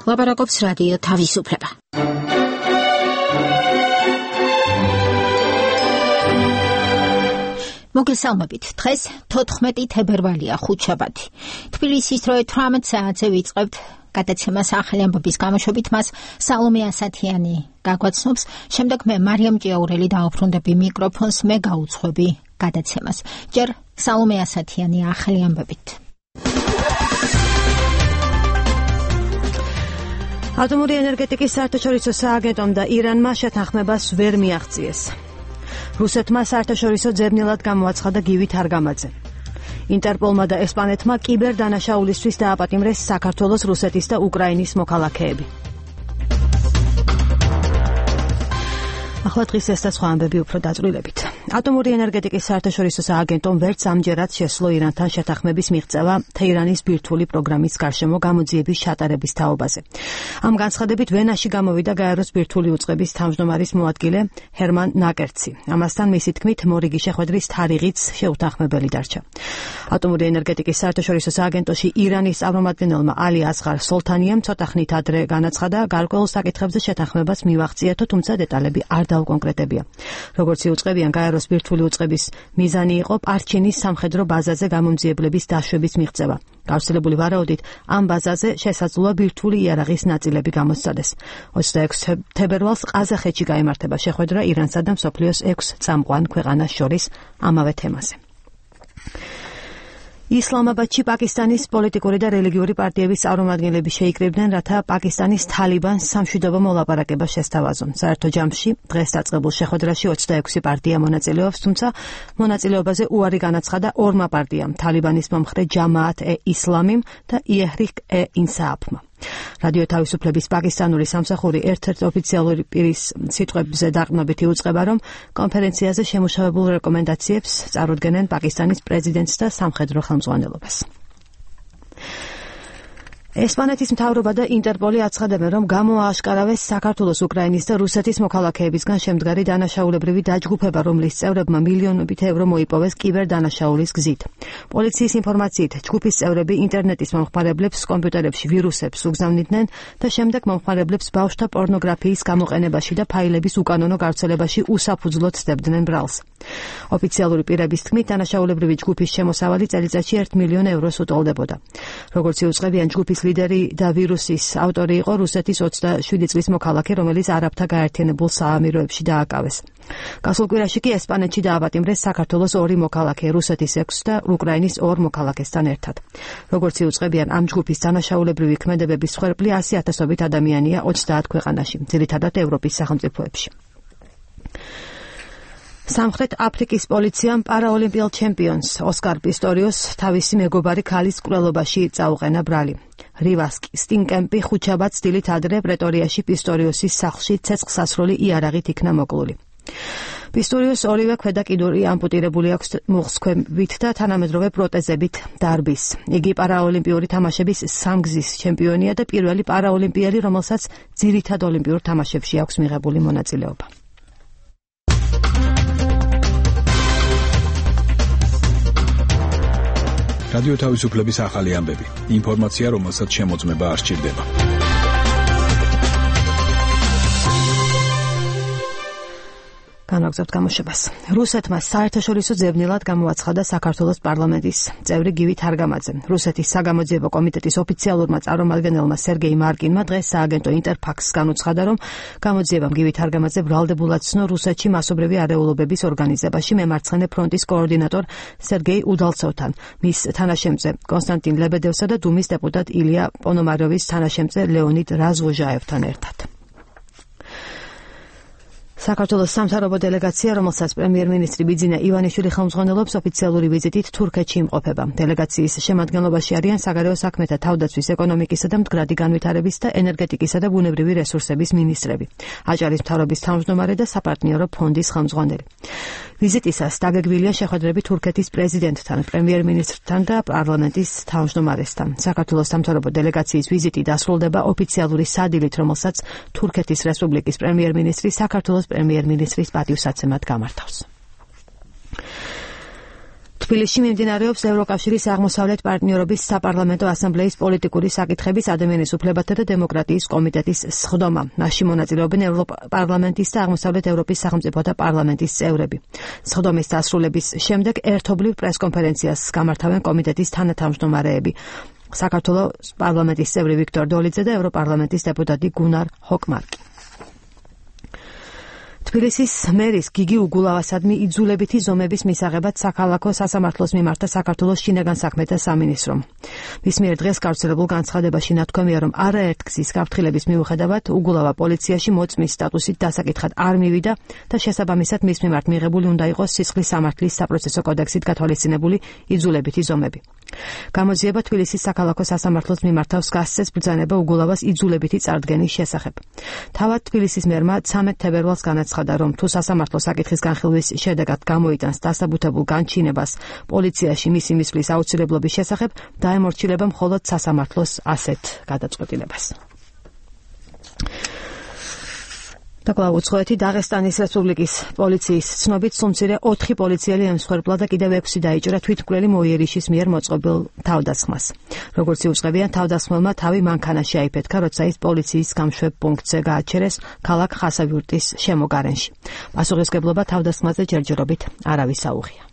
ლაპარაკობს რადიო თავისუფლება. მოგესალმებით. დღეს 14 თებერვალია, ხუთშაბათი. თბილისის დროით 18 საათზე ვიწყებთ გადაცემას ახალი ამბების გამოშვებით. მას სალომე ასათიანი გაგვაცნობს. შემდეგ მე მარიამ ჭიაურელი დაუბრუნდები მიკროფონს, მე გაუძღვები გადაცემას. ჯერ სალომე ასათიანი ახალი ამბებით. ატომური ენერგეტიკის საერთაშორისო სააგენტომ და ირანმა შეთანხმებას ვერ მიაღწიეს. რუსეთმა საერთაშორისო ძებნელად გამოაცხადა გივი თარგამაძე. ინტერპოლმა და ესპანეთმა კიბერდანაშაულისთვის დააპატიმრეს საქართველოს, რუსეთის და უკრაინის მოქალაქეები. ახლა დღის ეს და სხვა ამბები უფრო დაწვრილებით. ატომური ენერგეტიკის საერთაშორისო სააგენტომ ვერც ამჯერად შესძლო ირანთან შეთანხმების მიღწევა თეირანის ბირთვული პროგრამის გარშემო გამოძიების ჩატარების თაობაზე. ამ განცხადებით ვენაში გამოვიდა გაეროს ბირთვული უწყების თავმჯდომარის მოადგილე ჰერმან ნაკერცი. ამასთან მისი თქმით, მორიგი შეხვედრის თარიღიც შეუთანხმებელი დარჩა. ატომური ენერგეტიკის საერთაშორისო სააგენტოში ირანის წარმომადგენელმა ალი ასღარ სოლთანიამ ცოტა ხნით ადრე განაცხადა, გარკვეულ საკითხებზე შეთანხმებას მივაღწიეთო, თუმცა დეტალები არ დაუკონკრეტებია. როგორც იუწყებიან, გაეროს ბირთვული უწყების მიზანი იყო პარჩინის სამხედრო ბაზაზე გამომძიებლების დაშვების მიღწევა. გავრცელებული ვარაუდით, ამ ბაზაზე შესაძლოა ბირთვული იარაღის ნაწილები გამოსცადეს. 26 თებერვალს ყაზახეთში გაიმართება შეხვედრა ირანსა და მსოფლიოს 6 წამყვან ქვეყანას შორის ამავე თემაზე. ისლამაბადში პაკისტანის პოლიტიკური და რელიგიური პარტიების წარმომადგენლები შეიკრიბნენ, რათა პაკისტანის თალიბანს სამშვიდობო მოლაპარაკება შესთავაზონ. საერთო ჯამში დღეს დაწყებულ შეხვედრაში 26 პარტია მონაწილეობს, თუმცა მონაწილეობაზე უარი განაცხადა ორმა პარტიამ, თალიბანის მომხრე ჯამაათ-ე-ისლამიმ და იეჰრიკ-ე-ინსააფმა. რადიო თავისუფლების პაკისტანური სამსახური ერთ-ერთ ოფიციალური პირის სიტყვებზე დაყრდნობით იუწყება, რომ კონფერენციაზე შემუშავებულ რეკომენდაციებს წარუდგენენ პაკისტანის პრეზიდენტს და სამხედრო ხელმძღვანელობას. ესპანეთის მთავრობა და ინტერპოლი აცხადებენ, რომ გამოააშკარავეს საქართველოს, უკრაინის და რუსეთის მოქალაქეებისგან შემდგარი დანაშაულებრივი დაჯგუფება, რომლის წევრებმა მილიონობით ევრო მოიპოვეს კიბერდანაშაულის გზით. პოლიციის ინფორმაციით, ჯგუფის წევრები ინტერნეტის მომხმარებლებს კომპიუტერებში ვირუსებს უგზავნიდნენ და შემდეგ მომხმარებლებს ბავშვთა პორნოგრაფიის გამოყენებაში და ფაილების უკანონო გავრცელებაში უსაფუძვლოდ სდებდნენ ბრალს. ოფიციალური პირების თქმით, დანაშაულებრივი ჯგუფის შემოსავალი წელიწადში 1 მილიონ ევროს უტოლდებოდა. როგორც იუწყებიან, ჯგუფის ლიდერი და ვირუსის ავტორი იყო რუსეთის 27 წლის მოქალაქე, რომელიც არაბთა გაერთიანებულ საამიროებში დააკავეს. გასულ კვირაში კი ესპანეთში დააპატიმრეს საქართველოს 2 მოქალაქე, რუსეთის 6 და უკრაინის 2 მოქალაქესთან ერთად. როგორც იუწყებიან, ამ ჯგუფის დანაშაულებრივი ქმედებების მსხვერპლი 100,000-ობით ადამიანია 30 ქვეყანაში, ძირითადად ევროპის სახელმწიფოებში. სამხრეთ აფრიკის პოლიციამ პარაოლიმპიელ ჩემპიონს ოსკარ პისტორიოს თავისი მეგობარი ქალის მკვლელობაში წაუყენა ბრალი. რივას სტინკემპი ხუთშაბათს დილით ადრე პრეტორიაში პისტორიოსის სახლში ცეცხლსასროლი იარაღით იქნა მოკლული. პისტორიოს ორივე ქვედა კიდური ამპუტირებული აქვს მუხსქვებით და თანამედროვე პროტეზებით დარბის. იგი პარაოლიმპიური თამაშების სამგზის ჩემპიონია და პირველი პარაოლიმპიელი, რომელსაც ძირითად ოლიმპიურ თამაშებში აქვს მიღებული მონაწილეობა. რადიო თავისუფლების ახალი ამბები. ინფორმაცია, რომელსაც შემოწმება არ სჭირდება. განაგზავნებთ გამოშვებას. რუსეთმა საერთაშორისო ძებნელად გამოაცხადა საქართველოს პარლამენტის წევრი გივი თარგამაძე. რუსეთის საგამოძიებო კომიტეტის ოფიციალურმა წარმომადგენელმა სერგეი მარკინმა დღეს სააგენტო ინტერფაქსს განუცხადა, რომ გამოძიებამ გივი თარგამაძე ბრალდებულად ცნო რუსეთში მასობრივი არეულობების ორგანიზებაში მემარცხენე ფრონტის კოორდინატორ სერგეი უდალცოვთან, მის თანაშემწე კონსტანტინ ლებედევსა და დუმის დეპუტატ ილია პონომაროვის თანაშემწე ლეონიდ რაზვოჟაევთან ერთად. საქართველოს სამთავრობო დელეგაცია, რომელსაც პრემიერ-მინისტრი ბიძინა ივანიშვილი ხელმძღვანელობს, ოფიციალური ვიზიტით თურქეთში იმყოფება. დელეგაციის შემადგენლობაში არიან საგარეო საქმეთა, თავდაცვის, ეკონომიკისა და მდგრადი განვითარების და ენერგეტიკისა და ბუნებრივი რესურსების მინისტრები, აჭარის მთავრობის თავმჯდომარე და საპარტნიორო ფონდის ხელმძღვანელი. ვიზიტისას დაგეგმილია შეხვედრები თურქეთის პრეზიდენტთან, პრემიერ-მინისტრთან და პარლამენტის თავმჯდომარესთან. საქართველოს სამთავრობო დელეგაციის ვიზიტი დასრულდება ოფიციალური სადილით, რომელსაც თურქეთის რესპუბლიკის პრემიერ-მინისტრი საქართველოს პრემიერ-მინისტრის პატივსაცემად გამართავს. თბილისში მიმდინარეობს ევროკავშირის აღმოსავლეთ პარტნიორობის საპარლამენტო ასამბლეის პოლიტიკური საკითხების ადამიანის უფლებათა და დემოკრატიის კომიტეტის სხდომა. მასში მონაწილეობენ ევროპარლამენტის და აღმოსავლეთ ევროპის სახელმწიფოთა პარლამენტის წევრები. სხდომის დასრულების შემდეგ ერთობლივ პრესკონფერენციას გამართავენ კომიტეტის თანათავმჯდომარეები. საქართველოს პარლამენტის წევრი ვიქტორ დოლიძე და ევროპარლამენტის დეპუტატი გუნარ ჰოკმარკი. თბილისის მერის გიგი უგულავასადმი იძულებითი ზომების მისაღებად საქალაქო სასამართლოს მიმართა საქართველოს შინაგან საქმეთა სამინისტრომ. მის მიერ დღეს გავრცელებულ განცხადებაში ნათქვამია, რომ არაერთ გზის გაფრთხილების მიუხედავად უგულავა პოლიციაში მოწმის სტატუსით დასაკითხად არ მივიდა და შესაბამისად მის მიმართ მიღებული უნდა იყოს სისხლის სამართლის საპროცესო კოდექსით გათვალისწინებული იძულებითი ზომები. გამოძიება თბილისის საქალაქო სასამართლოს მიმართავს გასცეს ბრძანება უგულავას იძულებითი წარდგენის შესახებ. თავად თბილისის მერმა 13 თებერვალს განაცხადა, რომ თუ სასამართლო საკითხის განხილვის შედეგად გამოიტანს დასაბუთებულ განჩინებას პოლიციაში მისი მისვლის აუცილებლობის შესახებ, დაემორჩილება მხოლოდ სასამართლოს ასეთ გადაწყვეტილებას. დაკლა უცხოეთი დაღესტანის რესპუბლიკის პოლიციის ცნობით სუმცირე 4 პოლიციელი ემსხვერპლა და კიდევ 6 დაიჭრა თვითმკვლელი მოიერიშის მიერ მოწყობილ თავდასხმას. როგორც იუწყებიან, თავდასხმელმა თავი მანქანაში აიფეთქა, როცა ის პოლიციის გამშვებ პუნქტზე გააჩერეს ქალაქ ხასავიურტის შემოგარენში. პასუხისმგებლობა თავდასხმაზე ჯერჯერობით არავის აუღია.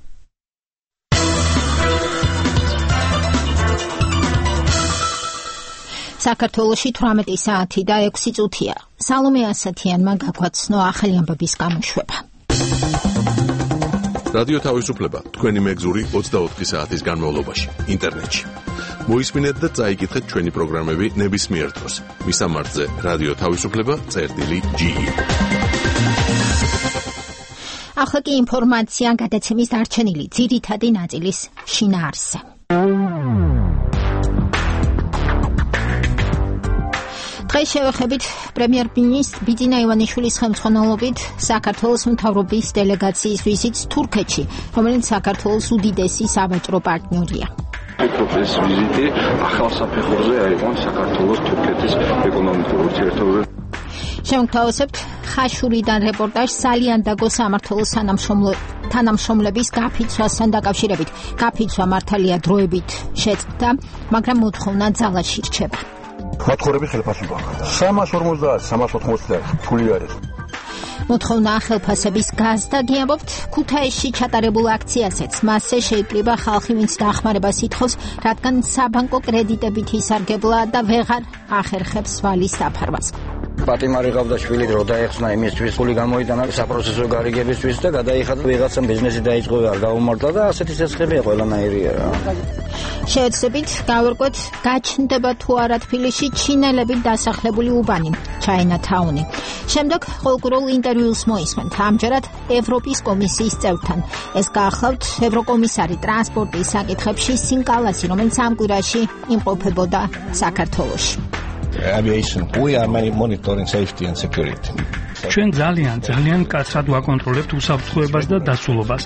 საქართველოში 18 საათი და 6 წუთია. სალომე ასათიანმა გაგვაცნო ახალი ამბების გამოშვება. რადიო თავისუფლება თქვენი მეგზური 24 საათის განმავლობაში ინტერნეტში. მოისმინეთ და წაიკითხეთ ჩვენი პროგრამები ნებისმიერ დროს. მისამართზე რადიო თავისუფლება.ge. ახლა კი ინფორმაცია გადაცემის დარჩენილი ძირითადი ნაწილის შინაარსზე. დღეს შევეხებით პრემიერ-მინისტր ბიძინა ივანიშვილის ხელმძღვანელობით საქართველოს მთავრობის დელეგაციის ვიზიტს თურქეთში, რომელიც საქართველოს უდიდესი სავაჭრო პარტნიორია. ეს ვიზიტი ახალ საფეხურზე აიყვანს საქართველოს თურქეთის ეკონომიკურ ურთიერთობებს. შევთავაზებთ ხაშურიდან რეპორტაჟს სალიანდაგო სამმართველოს თანამშრომლების გაფიცვასთან დაკავშირებით. გაფიცვა მართალია დროებით შეწყდა, მაგრამ მოთხოვნა ძალაში რჩება. მოთხოვები ხელფასი გვაქვს. 350-380 ფული არის. მოთხოვნა ხელფასების გაზდა გიამბობთ ქუთაისში ჩატარებულ აქციაზეც. მასზე შეიკრიბა ხალხი, ვინც დახმარებას ითხოვს, რადგან საბანკო კრედიტებით ისარგებლა და ვეღარ ახერხებს ვალის დაფარვას. პატიმარი ყავდა შვილი, რო დაეხსნა იმისთვის, ფული გამოიტანა საპროცესო გარიგებისთვის და გადაიხადა ვიღაცამ ბიზნესი დაიწყო, არ გაუმართლა და ასეთი ცეცხლებია ყველანაირია რა. შევეცდებით გავერკვეთ, გაჩნდება თუ არა თბილისში ჩინელებით დასახლებული უბანი, ჩაინათაუნი. შემდეგ ყოველკვირეულ ინტერვიუს მოისმენთ ამჯერად ევროპის კომისიის წევრთან. ეს გაახლავთ ევროკომისარი ტრანსპორტის საკითხებში სინკალასი, რომელიც ამ კვირაში იმყოფებოდა საქართველოში. Aviation, we are monitoring safety and security. ჩვენ ძალიან კაცრად ვაკონტროლებთ უსაფრთხოებას და დაცულობას.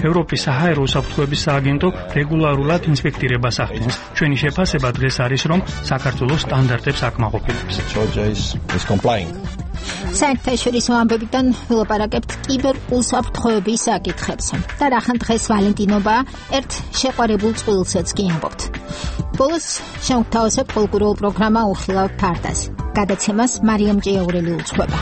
ევროპის საჰაერო უსაფრთხოების სააგენტო რეგულარულად ინსპექტირებას ახდენს. ჩვენი შეფასება დღეს არის, რომ საქართველოს სტანდარტებს აკმაყოფილებს. Georgia is complying. საერთაშორისო ამბებიდან ვილაპარაკებთ კიბერ უსაფრთხოების საკითხებზე. და რახან დღეს ვალენტინობა ერთ შეყვარებულ წყვილსაც კი ამბობთ. ბოლოს შევთავაზებთ ყოველკვირეულ პროგრამა უხილავ ფარდას. გადაცემას მარიამ ჭიაურელი უძღვება.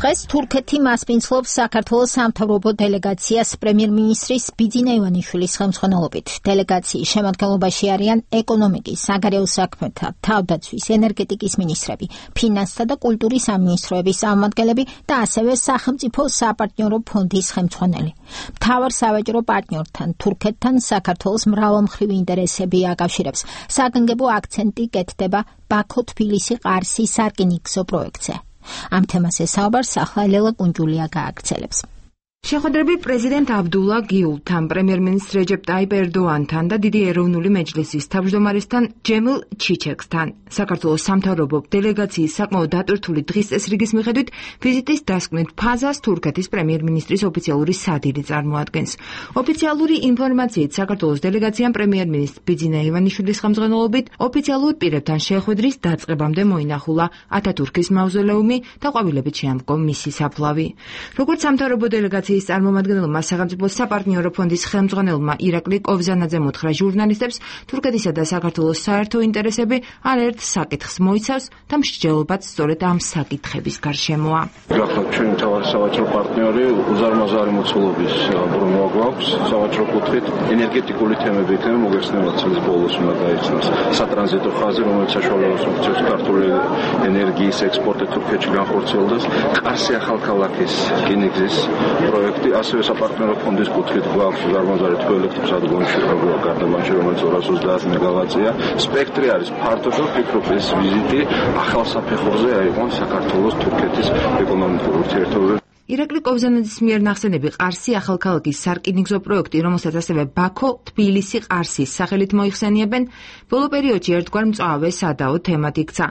დღეს თურქეთი მასპინძლობს საქართველოს სამთავრობო დელეგაციას პრემიერ-მინისტრის ბიძინა ივანიშვილის ხელმძღვანელობით. დელეგაციის შემადგენლობაში არიან ეკონომიკის, საგარეო საქმეთა, თავდაცვის, ენერგეტიკის მინისტრები, ფინანსთა და კულტურის სამინისტროების წარმომადგენლები და ასევე სახელმწიფო საპარტნიორო ფონდის ხელმძღვანელი. მთავარ სავაჭრო პარტნიორთან, თურქეთთან საქართველოს მრავალმხრივი ინტერესები აკავშირებს. საგანგებო აქცენტი კეთდება ბაქო-თბილისი-ყარსი სარკინიგზო პროექტზე. ამ თემაზე საუბარს ახლა ლელა კუნჯულია გააგრძელებს. შეხვედრები პრეზიდენტ აბდულა გიულთან, პრემიერ-მინისტრ რეჯეპ ტაიპ ერდოანთან და დიდი ეროვნული მეჯლისის თავმჯდომარესთან ჯემილ ჩიჩეკსთან. საქართველოს სამთავრობო დელეგაციის საკმაოდ დატვირთული დღის წესრიგის მიხედვით ვიზიტის დასკვნით ფაზას თურქეთის პრემიერ-მინისტრის ოფიციალური სადილე წარმოადგენს. ოფიციალური ინფორმაციით საქართველოს დელეგაციამ პრემიერ-მინისტრ ბიძინა ივანიშვილის ხელმძღვანელობით ოფიციალურ პირებთან შეხვედრის დაწყებამდე მოინახულა ათათურქის მავზოლეუმი და ყვავილებით შეამკო მისი საფლავი. როგორც სამთავრობო დელეგაციის პარტიის წარმომადგენელმა სახელმწიფო საპარტნიორო ფონდის ხელმძღვანელმა ირაკლი კოვზანაძემ უთხრა ჟურნალისტებს, თურქეთისა და საქართველოს საერთო ინტერესები არაერთ საკითხს მოიცავს და მსჯელობაც სწორედ ამ საკითხების გარშემოა. გახლავთ ჩვენი მთავარი სავაჭრო პარტნიორი, უზარმაზარი მოცულობის ბრუნვა გვაქვს სავაჭრო კუთხით, ენერგეტიკული თემები იქნება მოგეხსენებათ წლის ბოლოს უნდა დაიცნოს სატრანზიტო ხაზი, რომელიც საშუალებას მოგცემს ქართული ენერგიის ექსპორტი თურქეთში განხორციელდეს, ყარსი ახალქალაქის რკინიგზის პროექტი, ასევე საპარტნიორო ფონდის კუთხით გვაქვს უზარმაზარი თბოელექტროსადგომში გარდამავალში, რომელიც 230 მეგავატია. სპექტრი არის ფართო და ვფიქრობ ეს ვიზიტი ახალ საფეხურზე აიყვანს საქართველოს თურქეთის ეკონომიკურ ურთიერთობებს. ირაკლი კოვზანაძის მიერ ნახსენები ყარსი ახალქალაქის სარკინიგზო პროექტი, რომელსაც ასევე ბაქო, თბილისი, ყარსის სახელით მოიხსენიებენ, ბოლო პერიოდში ერთგვარ მწვავე სადაო თემად იქცა.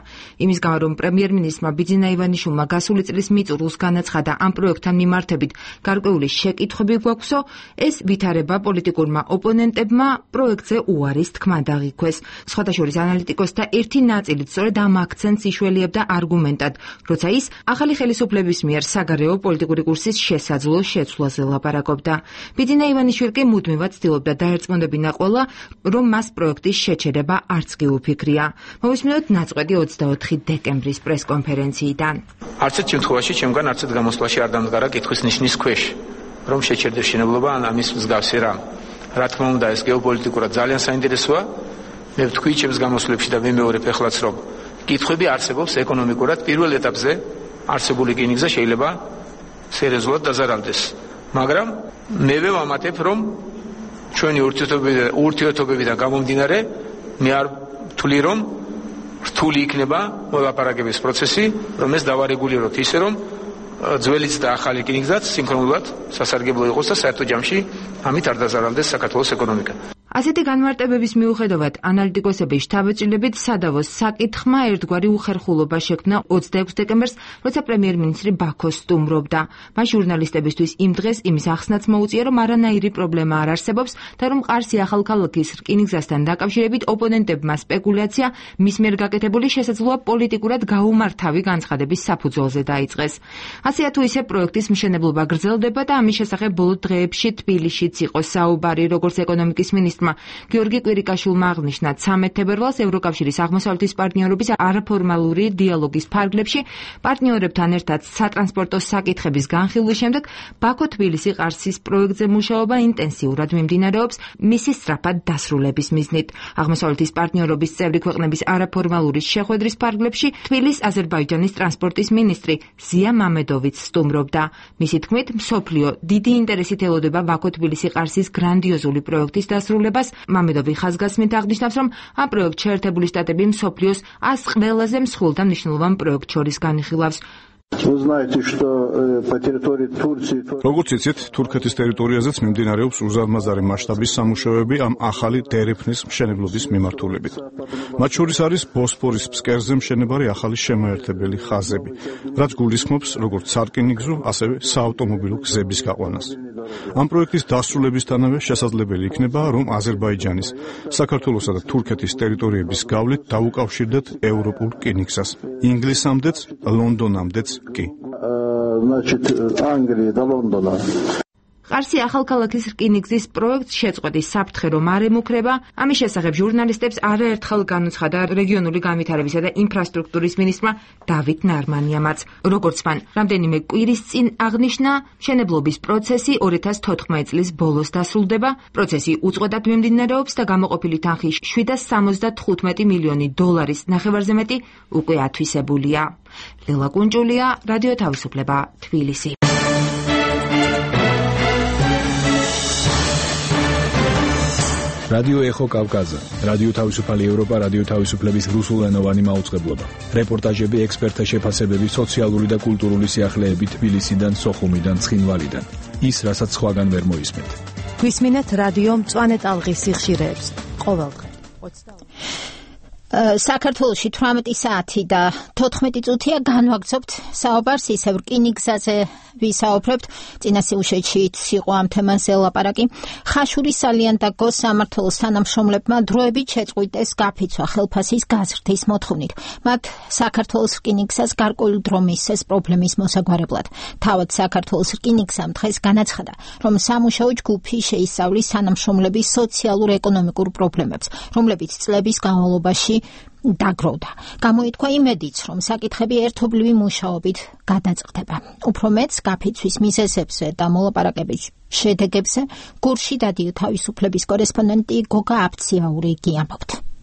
იმის გამო, რომ პრემიერ-მინისტრმა ბიძინა ივანიშვილმა გასული წლის მიწურულს განაცხადა ამ პროექტთან მიმართებით გარკვეული შეკითხვები გვაქვსო, ეს ვითარება პოლიტიკურმა ოპონენტებმა პროექტზე უარის თქმა დაღიქვეს. სხვადასხვა ანალიტიკოსთა ერთი ნაწილით სწორედ ამ აქცენტს იშველიებდა არგუმენტად, როცა ის ახალი ხელისუფლების მიერ საგარეო პოლიტიკური კურსის შესაძლო შეცვლაზე ლაპარაკობდა. ბიძინა ივანიშვილი კი მუდმივად ცდილობდა დაერწმუნებინა ყველა, რომ მას პროექტის შეჩერება არც კი უფიქრია. მოვისმინოთ ნაწყვეტი 24 დეკემბრის პრესკონფერენციიდან. არც ერთ შემთხვევაში ჩემგან არც ერთ გამოსვლაში არ დამდგარა კითხვის ნიშნის ქვეშ, რომ შეჩერდეს მშენებლობა ან ამის მსგავსი რამ. რა თქმა უნდა, ეს გეოპოლიტიკურად ძალიან საინტერესოა. მე ვთქვი ჩემს გამოსვლებში და ვიმეორებ ეხლაც, რომ კითხვები არსებობს ეკონომიკურად პირველ ეტაპზე არსებული რკინიგზა შეიძლება სერიოზულად დაზარალდეს. მაგრამ მე ვამატებ, რომ ჩვენი ურთიერთობებიდან გამომდინარე, მე არ ვთვლი, რომ რთული იქნება მოლაპარაკების პროცესი, რომ ეს დავარეგულიროთ ისე, რომ ძველიც და ახალი რკინიგზაც სინქრონულად სასარგებლო იყოს და საერთო ჯამში ამით არ დაზარალდეს საქართველოს ეკონომიკა. ასეთი განმარტებების მიუხედავად, ანალიტიკოსების შთაბეჭდილებით სადავოს საკითხმა ერთგვარი უხერხულობა შექმნა 26 დეკემბერს, როცა პრემიერ-მინისტრი ბაქოს სტუმრობდა. მას ჟურნალისტებისთვის იმ დღეს იმის ახსნაც მოუწია, რომ არანაირი პრობლემა არ არსებობს და რომ ყარსი ახალქალაქის რკინიგზასთან დაკავშირებით ოპონენტებმა სპეკულაცია მის მიერ გაკეთებული შესაძლოა პოლიტიკურად გაუმართავი განცხადების საფუძველზე დაიწყეს. ასე თუ ისე პროექტის მშენებლობა გრძელდება და ამის შესახებ ბოლო დღეებში თბილისშიც იყო საუბარი, როგორც ეკონომიკის მინისტრმა გიორგი კვირიკაშვილმა აღნიშნა 13 თებერვალს ევროკავშირის აღმოსავლეთის პარტნიორობის არაფორმალური დიალოგის ფარგლებში პარტნიორებთან ერთად სატრანსპორტო საკითხების განხილვის შემდეგ ბაქო-თბილისი ყარსის პროექტზე მუშაობა ინტენსიურად მიმდინარეობს მისი სწრაფად დასრულების მიზნით. აღმოსავლეთის პარტნიორობის წევრი ქვეყნების არაფორმალური შეხვედრის ფარგლებში თბილის-აზერბაიჯანის ტრანსპორტის მინისტრი ზია მამედოვიც სტუმრობდა. მისი თქმით, მსოფლიო დიდი ინტერესით ელოდება ბაქო-თბილისი ყარსის გრანდიოზული პროექტის დასრულებას. მამედოვი ხაზგასმით აღნიშნავს, რომ ამ პროექტში ერთებული შტატები მსოფლიოს 100 ყველაზე მსხვილ და მნიშვნელოვან პროექტ შორის განიხილავს. როგორც იცით, თურქეთის ტერიტორიაზეც მიმდინარეობს უზარმაზარი მასშტაბის სამუშაოები ამ ახალი დერეფნის მშენებლობის მიმართულებით. მათ შორის არის ბოსფორის ფსკერზე მშენებარი ახალი შემაერთებელი ხაზები, რაც გულისხმობს როგორც სარკინიგზო, ასევე საავტომობილო გზების გაყვანას. ამ პროექტის დასრულებისთანავე შესაძლებელი იქნება, რომ აზერბაიჯანის, საქართველოსა და თურქეთის ტერიტორიების გავლით დაუკავშირდეთ ევროპულ რკინიგზას, ინგლისამდეც, ლონდონამდეც კი. ყარსი ახალქალაქის რკინიგზის პროექტს შეწყვეტის საფრთხე რომ არ ემუქრება, ამის შესახებ ჟურნალისტებს არაერთხელ განუცხადა რეგიონული განვითარებისა და ინფრასტრუქტურის მინისტრმა დავით ნარმანიამაც. როგორც მან რამდენიმე კვირის წინ აღნიშნა, მშენებლობის პროცესი 2014 წლის ბოლოს დასრულდება. პროცესი უწყვეტად მიმდინარეობს და გამოყოფილი თანხი 775 მილიონი დოლარის ნახევარზე მეტი უკვე ათვისებულია. ლელა კუნჭულია, რადიო თავისუფლება, თბილისი. რადიო ეხო კავკაზა, რადიო თავისუფალი ევროპა, რადიო თავისუფლების რუსულენოვანი მაუწყებლობა. რეპორტაჟები, ექსპერტთა შეფასებები, სოციალური და კულტურული სიახლეები თბილისიდან, სოხუმიდან, ცხინვალიდან. ის, რასაც სხვაგან ვერ მოისმენთ. გვისმინეთ რადიო მწვანე ტალღის სიხშირეებს. ყოველდღე. საქართველოში 18 საათი და 14 წუთია განვაგრძობთ საუბარს ისევ რკინიგზაზე ვისაუბრებთ. წინა სიუჟეტშიც იყო ამ თემაზე ლაპარაკი. ხაშურის სალიანდაგო სამმართველოს თანამშრომლებმა დროებით შეწყვიტეს გაფიცვა ხელფასის გაზრდის მოთხოვნით. მათ საქართველოს რკინიგზას გარკვეული დრო მისცეს პრობლემის მოსაგვარებლად. თავად საქართველოს რკინიგზამ დღეს განაცხადა, რომ სამუშაო ჯგუფი შეისწავლის თანამშრომლების სოციალურ-ეკონომიკურ პრობლემებს, რომლებიც წლების განმავლობაში დაგროვდა. გამოითქვა იმედიც, რომ საკითხები ერთობლივი მუშაობით გადაწყდება. უფრო მეც გაფიცვის მიზეზებზე და მოლაპარაკების შედეგებზე გურში რადიო თავისუფლების კორესპონდენტი გოგა აფციაური გიამბობთ.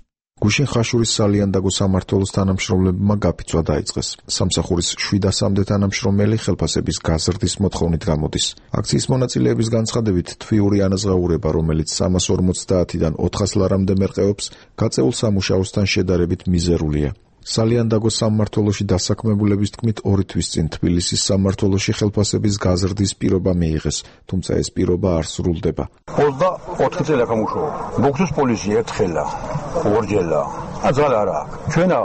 გუშინ ხაშურის სალიანდაგო სამმართველოს თანამშრომლებმა გაფიცვა დაიწყეს. სამსახურის 700-მდე თანამშრომელი ხელფასების გაზრდის მოთხოვნით გამოდის. აქციის მონაწილეების განცხადებით, თვიური ანაზღაურება, რომელიც 350-დან 400 ლარამდე მერყეობს, გაწეულ სამუშაოსთან შედარებით მიზერულია. სალიანდაგოს სამმართველოში დასაქმებულების თქმით 2 თვის წინ თბილისის სამმართველოში ხელფასების გაზრდის პირობა მიიღეს, თუმცა ეს პირობა არ სრულდება. 24 წელი აქ ამუშაობ. მოგწოს პოლიცია ერთხელა, ორჯერა. აძალ არა. ჩვენა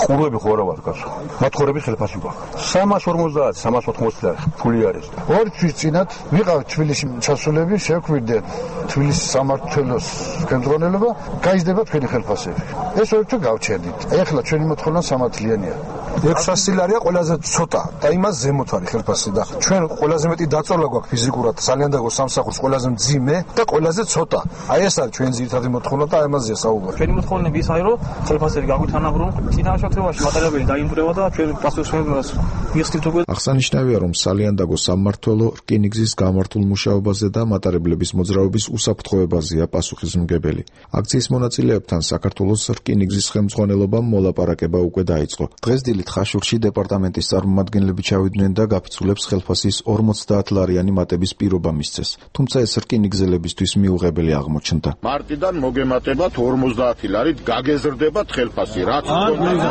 ყურები ხო არა ვარ კაცო. მათხოვრები ხელფასი გვაქვს. 350, 380 ფული არის. 2 თვის წინათ ვიყავ თბილისში ჩასულები, შეგვიდნენ თბილისის სამმართველოს კენტრონელობა, გაიზრდება თქვენი ხელფასები. ეს 2 თვე გავჩერდით. ეხლა ჩვენი მოთხოვნა 3 წლიანია. 600 ლარია ყველაზე ცოტა და იმას ზემოთ არის ხელფასი და ჩვენ ყველაზე მეტი დაწოლა გვაქვს ფიზიკურად სალიანდაგოს სამსახურს ყველაზე მძიმე და ყველაზე ცოტა. აი ეს არის ჩვენი ძირითადი მოთხოვნა და ამაზეა საუბარი. ჩვენი მოთხოვნები ის არის, რომ ხელფასები გაგვithანაბრონ, წინაშე მატარებელი დაიმბრევა და ჩვენ პასუხისმგებლობას მიხსნით უკვე. აღსანიშნავია, რომ სალიანდაგოს სამმართველო რკინიგზის გამართულ მუშაობაზე და მატარებლების მოძრაობის უსაფრთხოებაზეა პასუხისმგებელი. აქციის მონაწილეებთან საქართველოს რკინიგზის ხელმძღვანელობამ მოლაპარაკება უკვე დაიწყო. დღეს დილით ხაშურში დეპარტამენტის წარმომადგენლები ჩავიდნენ და გაფიცულებს ხელფასის 50 ლარიანი მატების პირობა მისცეს. თუმცა ეს რკინიგზელებისთვის მიუღებელი აღმოჩნდა. მარტიდან მოგემატებათ 50 ლარით, გაგეზრდებათ ხელფასი, რაც არ ვიდა.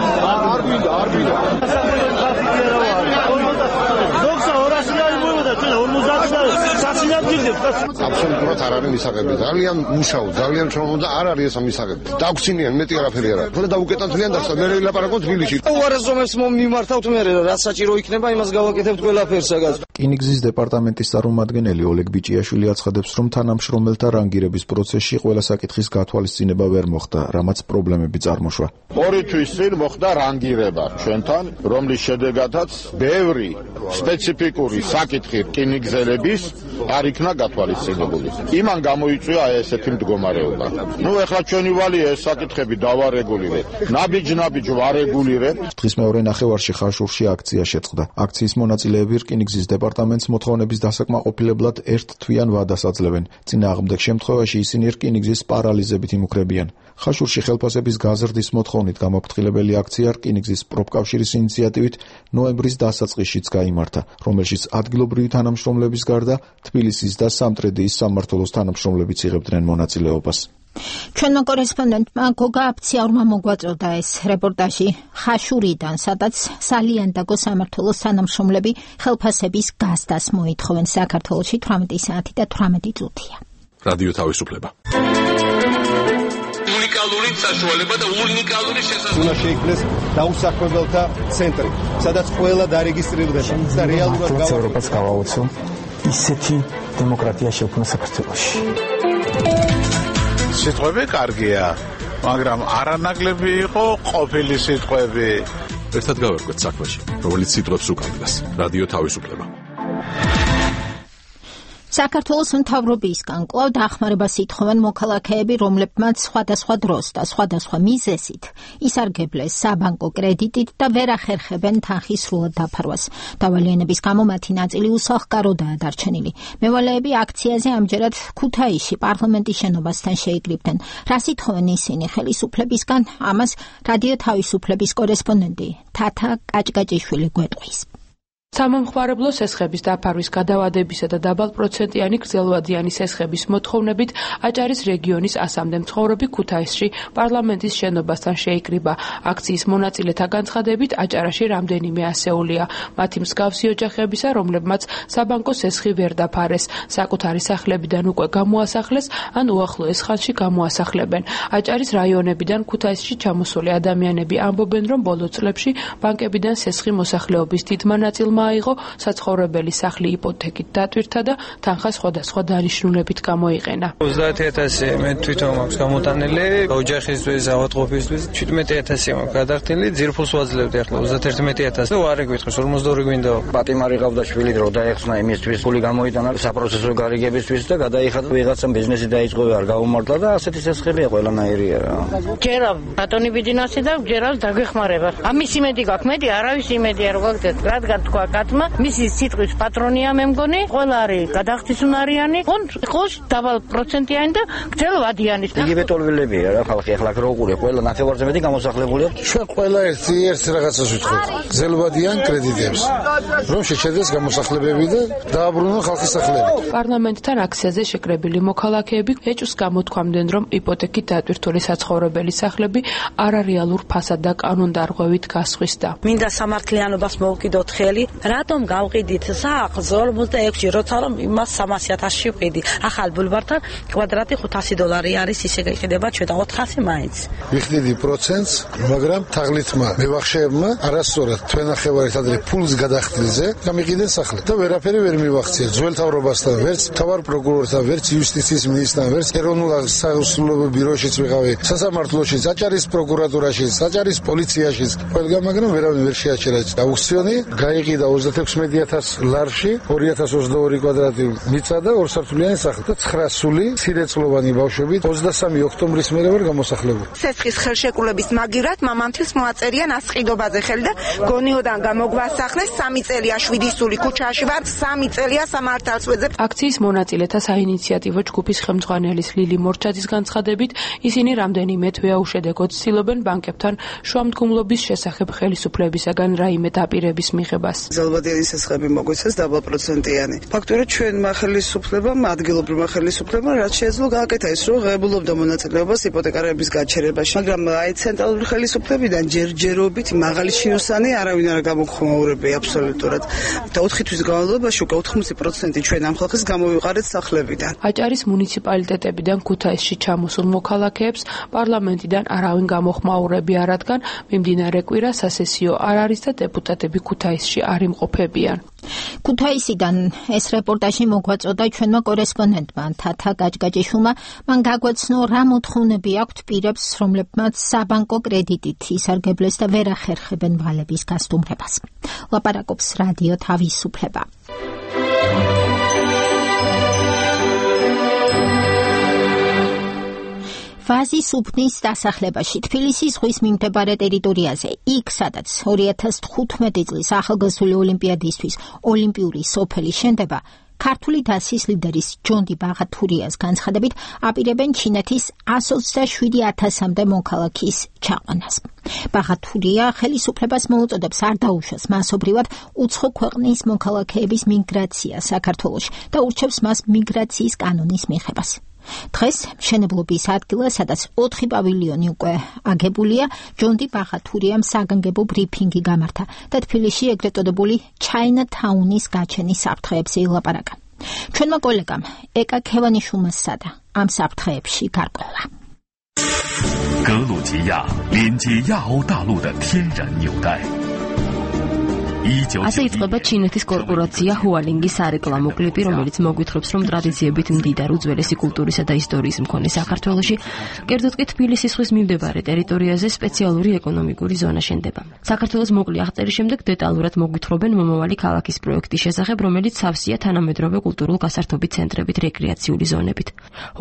აბსოლუტურად არ არის მისაღები. ძალიან მუშაო, ძალიან ჩომო და არ არის ეს მისაღები. დაგვცინიან მეტი არაფერი არა. ხოლმე დაუკეტანთლიან და მე ვილაპარაკოთ თბილისში. უარესობებს მიმართავთ მე რაც საჭირო იქნება, იმას გავაკეთებთ ყველაფერს საგას. რკინიგზის დეპარტამენტის წარმომადგენელი ოლეგ ბიჭიაშვილი აცხადებს, რომ თანამშრომელთა რანგირების პროცესში ყველა საკითხის გათვალისწინება ვერ მოხდა, რამაც პრობლემები წარმოშვა. 2 თვის წინ მოხდა რანგირება ჩვენთან, რომლის შედეგადაც ბევრი სპეციფიკური საკითხი რკინიგზელების არ იქნა გათვალისწინებული. იმან გამოიწვია ესეთი მდგომარეობა. ეხლა ჩვენი ვალია ეს საკითხები დავარეგულირებთ. ნაბიჯ ვარეგულირებთ. დღის მეორე ნახევარში ხაშურში აქცია შეწყდა. აქციის მონაწილეები რკინიგზის დეპარტამენტს მოთხოვნების დასაკმაყოფილებლად ერთ თვიან ვადას აძლევენ. წინააღმდეგ შემთხვევაში ისინი რკინიგზის პარალიზებით იმუქრებიან. ხაშურში ხელფასების გაზრდის მოთხოვნით გამაფრთხილებელი აქცია რკინიგზის პროფკავშირის ინიციატივით ნოემბრის დასაწყისშიც გაიმართა, რომელშიც ადგილობრივი თანამშრომლების გარდა თბილისის და სამტრედიის სამმართველოს თანამშრომლებიც იღებდნენ მონაწილეობას. ჩვენმა კორესპონდენტმა გოგა აფციაურმა მოგვაწოდა ეს რეპორტაჟი ხაშურიდან, სადაც სალიანდაგო სამმართველოს თანამშრომლები ხელფასების გაზრდას მოითხოვენ. საქართველოში 18 საათი და 18 წუთია. რადიო თავისუფლება. უნიკალური საშუალება და უნიკალური შესაძლებლობა. უნდა შეიქმნეს დაუსაქმებელთა ცენტრი, სადაც ყველა დარეგისტრირდება და რეალურად ევროპას გავაოცო ისეთი დემოკრატია შექმნა საქართველოში. სიტყვები კარგია, მაგრამ არანაკლები იყო ყოფილი სიტყვები. ერთად გავერკვეთ საქმეში, რომელიც სიტყვებს უკავშირდება. რადიო თავისუფლება. საქართველოს მთავრობისგან კვლავ დახმარებას ითხოვენ მოქალაქეები, რომლებმაც სხვადასხვა დროს და სხვადასხვა მიზეზით ისარგებლეს საბანკო კრედიტით და ვერ ახერხებენ თანხის სრულად დაფარვას. დავალიანების გამო მათი ნაწილი უსახლკაროდაა დარჩენილი. მევალეები აქციაზე ამჯერად ქუთაისში პარლამენტის შენობასთან შეიკრიბდნენ. რას ითხოვენ ისინი ხელისუფლებისგან? ამას რადიო თავისუფლების კორესპონდენტი თათა კაჭკაჭიშვილი გვეტყვის. სამომხმარებლო სესხების დაფარვის გადავადებისა და დაბალპროცენტიანი გრძელვადიანი სესხების მოთხოვნებით აჭარის რეგიონის 100-მდე მცხოვრები ქუთაისში პარლამენტის შენობასთან შეიკრიბა. აქციის მონაწილეთა განცხადებით აჭარაში რამდენიმე ასეულია მათი მსგავსი ოჯახებისა, რომლებმაც საბანკო სესხი ვერ დაფარეს, საკუთარი სახლებიდან უკვე გამოასახლეს ან უახლოეს ხანში გამოასახლებენ. აჭარის რაიონებიდან ქუთაისში ჩამოსული ადამიანები ამბობენ, რომ ბოლო წლებში ბანკებიდან სესხი მოსახლეობის დიდმა ნაწილმა აიღო, საცხოვრებელი სახლი იპოთეკით დატვირთა და თანხა სხვადასხვა დანიშნულებით გამოიყენა. 30,000 მე თვითონ მაქვს გამოტანილი, ოჯახისთვის, ავადმყოფისთვის 17,000 მაქვს გადახდილი, ძირფულს ვაძლევდი ახლა 31,000 და ვარ ეკითხოს 42 გვინდა. პატიმარი ყავდა შვილი დრო დაეხსნა იმისთვის, ფული გამოიტანა საპროცესო გარიგებისთვის და გადაიხადა ვიღაცამ ბიზნესი დაიწყო არ გაუმართლა და ასეთი სესხელია ყველანაირია რა. ჯერა ბატონი ბიძინასი და ჯერა დაგვეხმარება. ამის იმედი გაქვს, მეტი არავის იმედი არ გვაქვს, რადგან თქვა კაცმა, მისი სიტყვის პატრონია მე მგონი, ყველა არის გადახდისუნარიანი, ხოს დაბალპროცენტიანი და გრძელვადიანი. იგივე ტოლვილებია რა ხალხი ახლა რო უყურე, ყველა ნახევარზე მეტი გამოსახლებულია. ჩვენ ყველა ერთ რაღაცას ვიტყვით. გრძელვადიან კრედიტებს. რომ შეჩერდეს გამოსახლებები და დააბრუნონ ხალხის სახლები. პარლამენტთან აქციაზე შეკრებილი მოქალაქეები ეჭვს გამოთქვამდნენ, რომ იპოთეკით დატვირთული საცხოვრებელი სახლები არარეალურ ფასად და კანონდარღვევით გასხვისდა. მინდა სამართლიანობას მოვკიდოთ ხელი, რატომ გავყიდით სახლს 46-ში, როცა რომ იმას 300,000-ში ვყიდი. ახალ ბულვართან კვადრატი $500 არის, ისე გაიყიდება ჩვენ 400 მაინც. ვიხდიდი პროცენტს, მაგრამ თაღლითმა მევახშეებმა არასწორად თვენახევარით ადრე ფულს გადახდილზე გამიყიდენ სახლი და ვერაფერი ვერ მივახციეს. ძველ თავრობასთან, ვერც თავარ პროკურორთან, ვერც იუსტიციის მინისტრთან, ვერც ეროვნულ სასამართლო ბიუროშიც ვიყავი, სასამართლოშიც, აჭარის პროკურატურაშიც, აჭარის პოლიციაში, ყველგან, მაგრამ ვერავინ ვერ შეაჩერა. აუქციონი გაიყიდა 36,000 ლარში, 2022 კვადრატი მიწა და ორსართულიანი სახლი და 900 სირეწლოვანი ბავშვები 23 ოქტომბრის მერე ვერ გამოსახლებული. სესხის ხელშეკრულების მაგივრად მამამთილს მოაწერია ასყიდობაზე ხელი და გონიოდან გამოგვასახლეს 3 წელია შვიდისული ქუჩაში ვარ, 3 წელია სამართალს ვეძებ. აქციის მონაწილეთა საინიციატივო ჯგუფის ხელმძღვანელის ლილი მორჩაძის განცხადებით, ისინი რამდენიმე თვეა უშედეგოდ ცდილობენ ბანკებთან შუამდგომლობის შესახებ ხელისუფლებისაგან რაიმე დაპირების მიღებას. გრძელვადიანი სესხები მოგვეცეს დაბალპროცენტიანი. ფაქტობრივად ჩვენმა ხელისუფლებამ, ადგილობრივმა ხელისუფლებამ რაც შეეძლო გააკეთა ის, რომ ღებულობდა მონაწილეობას იპოთეკარების გაჩერებაში, მაგრამ აი ცენტრალური ხელისუფლებიდან ჯერჯერობით მაღალი შინოსანი არავინ არ გამოგხმაურებია აბსოლუტურად. და 4 თვის განმავლობაში უკვე 80% ჩვენ ამ ხალხის გამოვიყარეთ სახლებიდან. აჭარის მუნიციპალიტეტებიდან ქუთაისში ჩამოსულ მოქალაქეებს პარლამენტიდან არავინ გამოხმაურებია, რადგან მიმდინარე კვირა სასესიო არ არის და დეპუტატები ქუთაისში არ იმყოფებიან. ქუთაისიდან ეს რეპორტაჟი მოგვაწოდა ჩვენმა კორესპონდენტმა თათა გაჯგაჯიშვილმა. მან გაგვაცნო რა მოთხოვნები აქვთ პირებს, რომლებმაც საბანკო კრედიტით ისარგებლეს და ვერ ახერხებენ ვალების გასტუმრებას. ლაპარაკობს რადიო თავისუფლება. ვაზის უბნის დასახლებაში თბილისის ზღვის მიმდებარე ტერიტორიაზე, იქ სადაც 2015 წლის ახალგაზრდული ოლიმპიადისთვის ოლიმპიური სოფელი შენდება, ქართული დასის ლიდერის ჯონდი ბაღათურიას განცხადებით აპირებენ ჩინეთის 127,000-მდე მოქალაქის ჩაყვანას. ბაღათურია ხელისუფლებას მოუწოდებს არ დაუშვას მასობრივად უცხო ქვეყნის მოქალაქეების მიგრაცია საქართველოში და ურჩევს მას მიგრაციის კანონის მიღებას. დღეს მშენებლობის ადგილას, სადაც 4 პავილიონი უკვე აგებულია, ჯონდი ბაღათურიამ საგანგებო ბრიფინგი გამართა და თბილისში ეგრეთ წოდებული ჩაინათაუნის გაჩენის საფრთხეებზე ილაპარაკა. ჩვენმა კოლეგამ ეკა ქევანიშვილმა სცადა ამ საფრთხეებში გარკვევა. 格鲁吉亚连接亚欧大陆的天然纽带。ასე იწყება ჩინეთის კორპორაცია ჰუალინგის სარეკლამო კლიპი, რომელიც მოგვითხრობს, რომ ტრადიციებით მდიდარ უძველესი კულტურისა და ისტორიის მქონე საქართველოში, კერძოდ კი თბილისის ზღვის მიმდებარე ტერიტორიაზე სპეციალური ეკონომიკური ზონა შენდება. საქართველოს მოკლე აღწერის შემდეგ დეტალურად მოგვითხრობენ მომავალი ქალაქის პროექტის შესახებ, რომელიც სავსეა თანამედროვე კულტურულ გასართობი ცენტრებით, რეკრეაციული ზონებით.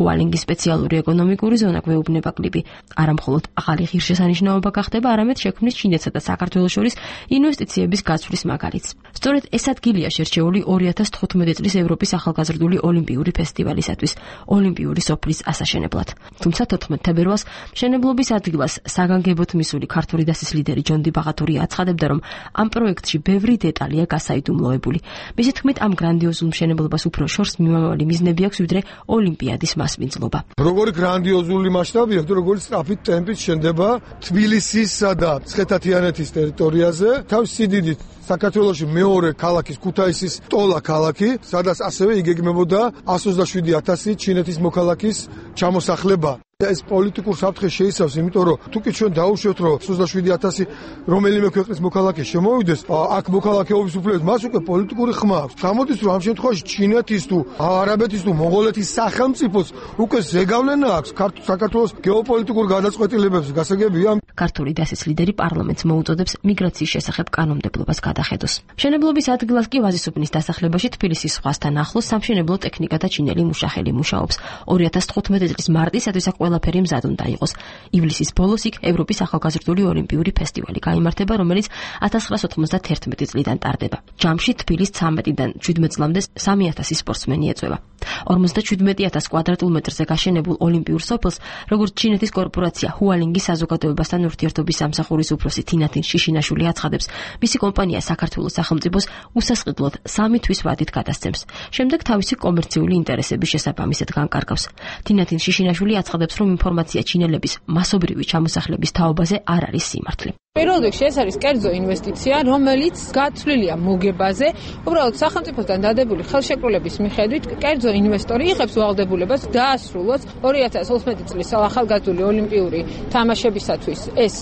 ჰუალინგის სპეციალური ეკონომიკური ზონა გვეუბნება კლიპი, არამხოლოდ ახალი ღირსშესანიშნაობა გახდება, არამედ შექმნის ჩინეთსა და საქართველოს შორის ინვესტიციების გაცვლის გადასვლის მაგალითს. სწორედ ეს ადგილია შერჩეული 2015 წლის ევროპის ახალგაზრდული ოლიმპიური ფესტივალისათვის, ოლიმპიური სოფლის ასაშენებლად. თუმცა 14 თებერვალს მშენებლობის ადგილას საგანგებოდ მისული ქართული დასის ლიდერი ჯონდი ბაღათურია აცხადებდა, რომ ამ პროექტში ბევრი დეტალია გასაიდუმლოებული. მისი თქმით, ამ გრანდიოზულ მშენებლობას უფრო შორს მიმამავალი მიზნები აქვს, ვიდრე ოლიმპიადის მასპინძლობა. Როგორი გრანდიოზული მასშტაბია, როგორი სწრაფით ტემპით შენდება თბილისისა და მცხეთა-თიანეთის ტერიტორიაზე, თავის სიდიდით საქართველოში მეორე ქალაქის ქუთაისის ტოლა ქალაქი, სადაც ასევე იგეგმებოდა 127,000 ჩინეთის მოქალაქის ჩამოსახლება. ეს პოლიტიკურ საფრთხეს შეიცავს, იმიტომ რომ თუკი ჩვენ დაუშვებთ, რომ 27,000 რომელიმე ქვეყნის მოქალაქე შემოვიდეს, აქ მოქალაქეობის უფლებით მას უკვე პოლიტიკური ხმა აქვს. გამოდის, რომ ამ შემთხვევაში ჩინეთის თუ არაბეთის თუ მონღოლეთის სახელმწიფოს უკვე ზეგავლენა აქვს საქართველოს გეოპოლიტიკურ გადაწყვეტილებებს. გასაგებია, ქართული დასის ლიდერი პარლამენტს მოუწოდებს მიგრაციის შესახებ კანონმდებლობას გადახედოს. მშენებლობის ადგილას კი ვაზისუბნის დასახლებაში თბილისის ზღვასთან ახლოს სამშენებლო ტექნიკა და ჩინელი მუშახელი მუშაობს. 2015 წლის მარტისათვის ყველაფერი მზად უნდა იყოს. ივლისის ბოლოს იქ ევროპის ახალგაზრდული ოლიმპიური ფესტივალი გაიმართება, რომელიც 1991 წლიდან ტარდება. ჯამში თბილის 13-დან 17 წლამდე 3,000 სპორტსმენი ეწევა. 57,000 კვადრატულმეტრზე გაშენებულ ოლიმპიურ სოფელს, როგორც ჩინეთის კორპორაცია ჰუალინგის საზოგადოებასთან ურთიერთობის სამსახურის უფროსი თინათინ შიშინაშვილი აცხადებს, მისი კომპანია საქართველოს სახელმწიფოს უსასყიდლოდ 3 თვის ვადით გადასცემს. შემდეგ თავისი კომერციული ინტერესების შესაბამისად განკარგავს. თინათინ შიშინაშვილი აცხადებს, რომ ინფორმაცია ჩინელების მასობრივი ჩამოსახლების თაობაზე არ არის სიმართლე. პირველ რიგში ეს არის კერძო ინვესტიცია, რომელიც გაცვლილია მოგებაზე. უბრალოდ სახელმწიფოსგან დადებული ხელშეკრულების მიხედვით კერძო ინვესტორი იღებს ვალდებულებას დაასრულოს 2012 წლის ახალგაზრდული ოლიმპიური თამაშებისათვის ეს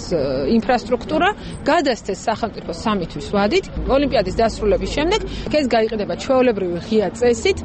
ინფრასტრუქტურა, გადასცეს სახელმწიფოს 3 თვის ვადით. ოლიმპიადის დასრულების შემდეგ ეს გაიყიდება ჩვეულებრივი ღია წესით.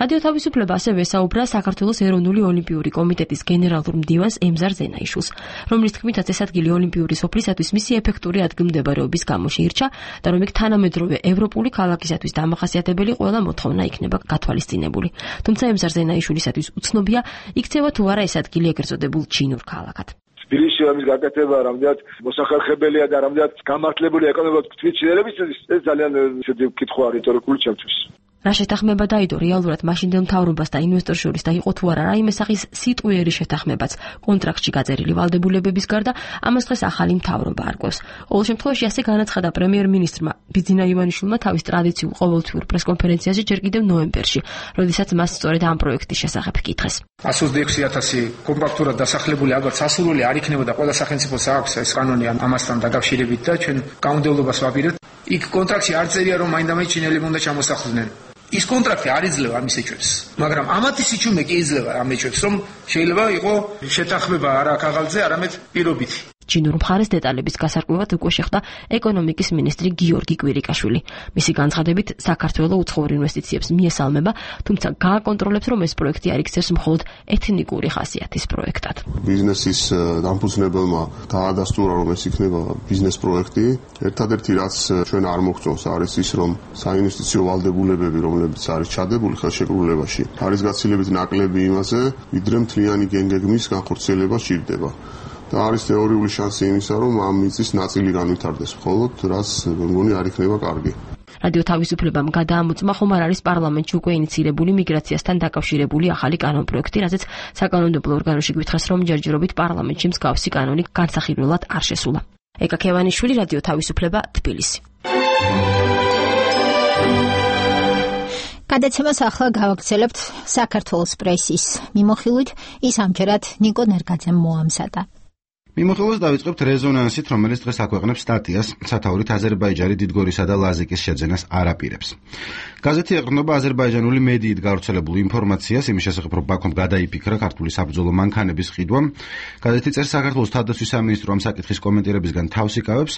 რადიო თავისუფლება ასევე ესაუბრა საქართველოს ეროვნული ოლიმპიური კომიტეტის გენერალურ მდივანს ემზარ ზენაიშვილს, რომლის თქმითაც ეს ადგილი ოლიმპიური სოფლისათვის მისი ეფექტური ადგილმდებარეობის გამო შეირჩა და რომ იქ თანამედროვე ევროპული ქალაქისათვის დამახასიათებელი ყველა მოთხოვნა იქნება გათვალისწინებული. თუმცა ემზარ ზენაიშვილისათვის უცნობია, იქცევა თუ არა ეს ადგილი ეგრეთ წოდებულ ჩინურ ქალაქად. თბილისში ამის გაკეთება რამდენად მოსახერხებელია და რამდენად გამართლებულია ეკონომიკურად თვითშინელებისთვის, ეს ძალიან ისეთი კითხვა რიტორიკული ჩემთვის. რა შეთანხმება დაიდო რეალურად მაშინდელ მთავრობას და ინვესტორ შორის და იყო თუ არა რაიმე სახის სიტყვიერი შეთანხმებაც კონტრაქტში გაწერილი ვალდებულებების გარდა, ამას დღეს ახალი მთავრობა არკვევს. ყოველ შემთხვევაში ასე განაცხადა პრემიერ-მინისტრმა ბიძინა ივანიშვილმა თავის ტრადიციულ ყოველთვიურ პრესკონფერენციაზე ჯერ კიდევ ნოემბერში, როდესაც მას სწორედ ამ პროექტის შესახებ კითხეს. 126,000 კომპაქტურად დასახლებული ალბათ სასურველი არ იქნება და ყველა სახელმწიფოს აქვს ეს კანონი ამასთან დაკავშირებით და ჩვენ კანონმდებლობას ვაპირებთ. იქ კონტრაქტში არ წერია, რომ მაინდამაინც ჩინელები უნდა ჩამოსახლდნენ. ის კონტრაქტი არ იძლევა ამის ეჭვებს, მაგრამ ამათი სიჩუმე კი იძლევა ამ ეჭვებს, რომ შეიძლება იყო შეთანხმება არა ქაღალდზე, არამედ პირობითი. ჩინურ მხარეს დეტალების გასარკვევად უკვე შეხვდა ეკონომიკის მინისტრი გიორგი კვირიკაშვილი. მისი განცხადებით, საქართველოს უცხოურ ინვესტიციებს მიესალმება, თუმცა გააკონტროლებს, რომ ეს პროექტი არ იქცევს მხოლოდ ეთნიკური ხასიათის პროექტად. ბიზნესის დამფუძნებელმა დაადასტურა, რომ ეს იქნება ბიზნეს პროექტი. ერთადერთი რაც ჩვენ არ მოგწონს არის ის, რომ საინვესტიციო ვალდებულებები, რომლებიც არის ჩადებული ხელშეკრულებაში, არის გაცილებით ნაკლები იმაზე, ვიდრე მთლიანი გეგმის განხორციელება სჭირდება. და არის თეორიული შანსი იმისა, რომ ამ მიწის ნაწილი განვითარდეს, მხოლოდ რაც მგონი არ იქნება კარგი. რადიო თავისუფლებამ გადაამოწმა, ხომ არ არის პარლამენტში უკვე ინიცირებული მიგრაციასთან დაკავშირებული ახალი კანონპროექტი, რაზეც საკანონმდებლო ორგანოში გვითხრას, რომ ჯერჯერობით პარლამენტში მსგავსი კანონი განსახილველად არ შესულა. ეკა ქევანიშვილი, რადიო თავისუფლება, თბილისი. გადაცემას ახლა გავაგრძელებთ საქართველოს პრესის მიმოხილვით, ის ამჯერად ნიკო ნერგაძემ მოამზადა. მიმოხილვას დავიწყებთ რეზონანსით, რომელიც დღეს აქვეყნებს სტატიას სათაურით აზერბაიჯანი დიდგორისა და ლაზიკის შეძენას არ აპირებს. გაზეთი ეყრდნობა აზერბაიჯანული მედიით გავრცელებულ ინფორმაციას იმის შესახებ, რომ ბაქომ გადაიფიქრა ქართული საბრძოლო მანქანების ყიდვა. გაზეთი წერს, საქართველოს თავდაცვის სამინისტრო ამ საკითხის კომენტირებისგან თავს იკავებს.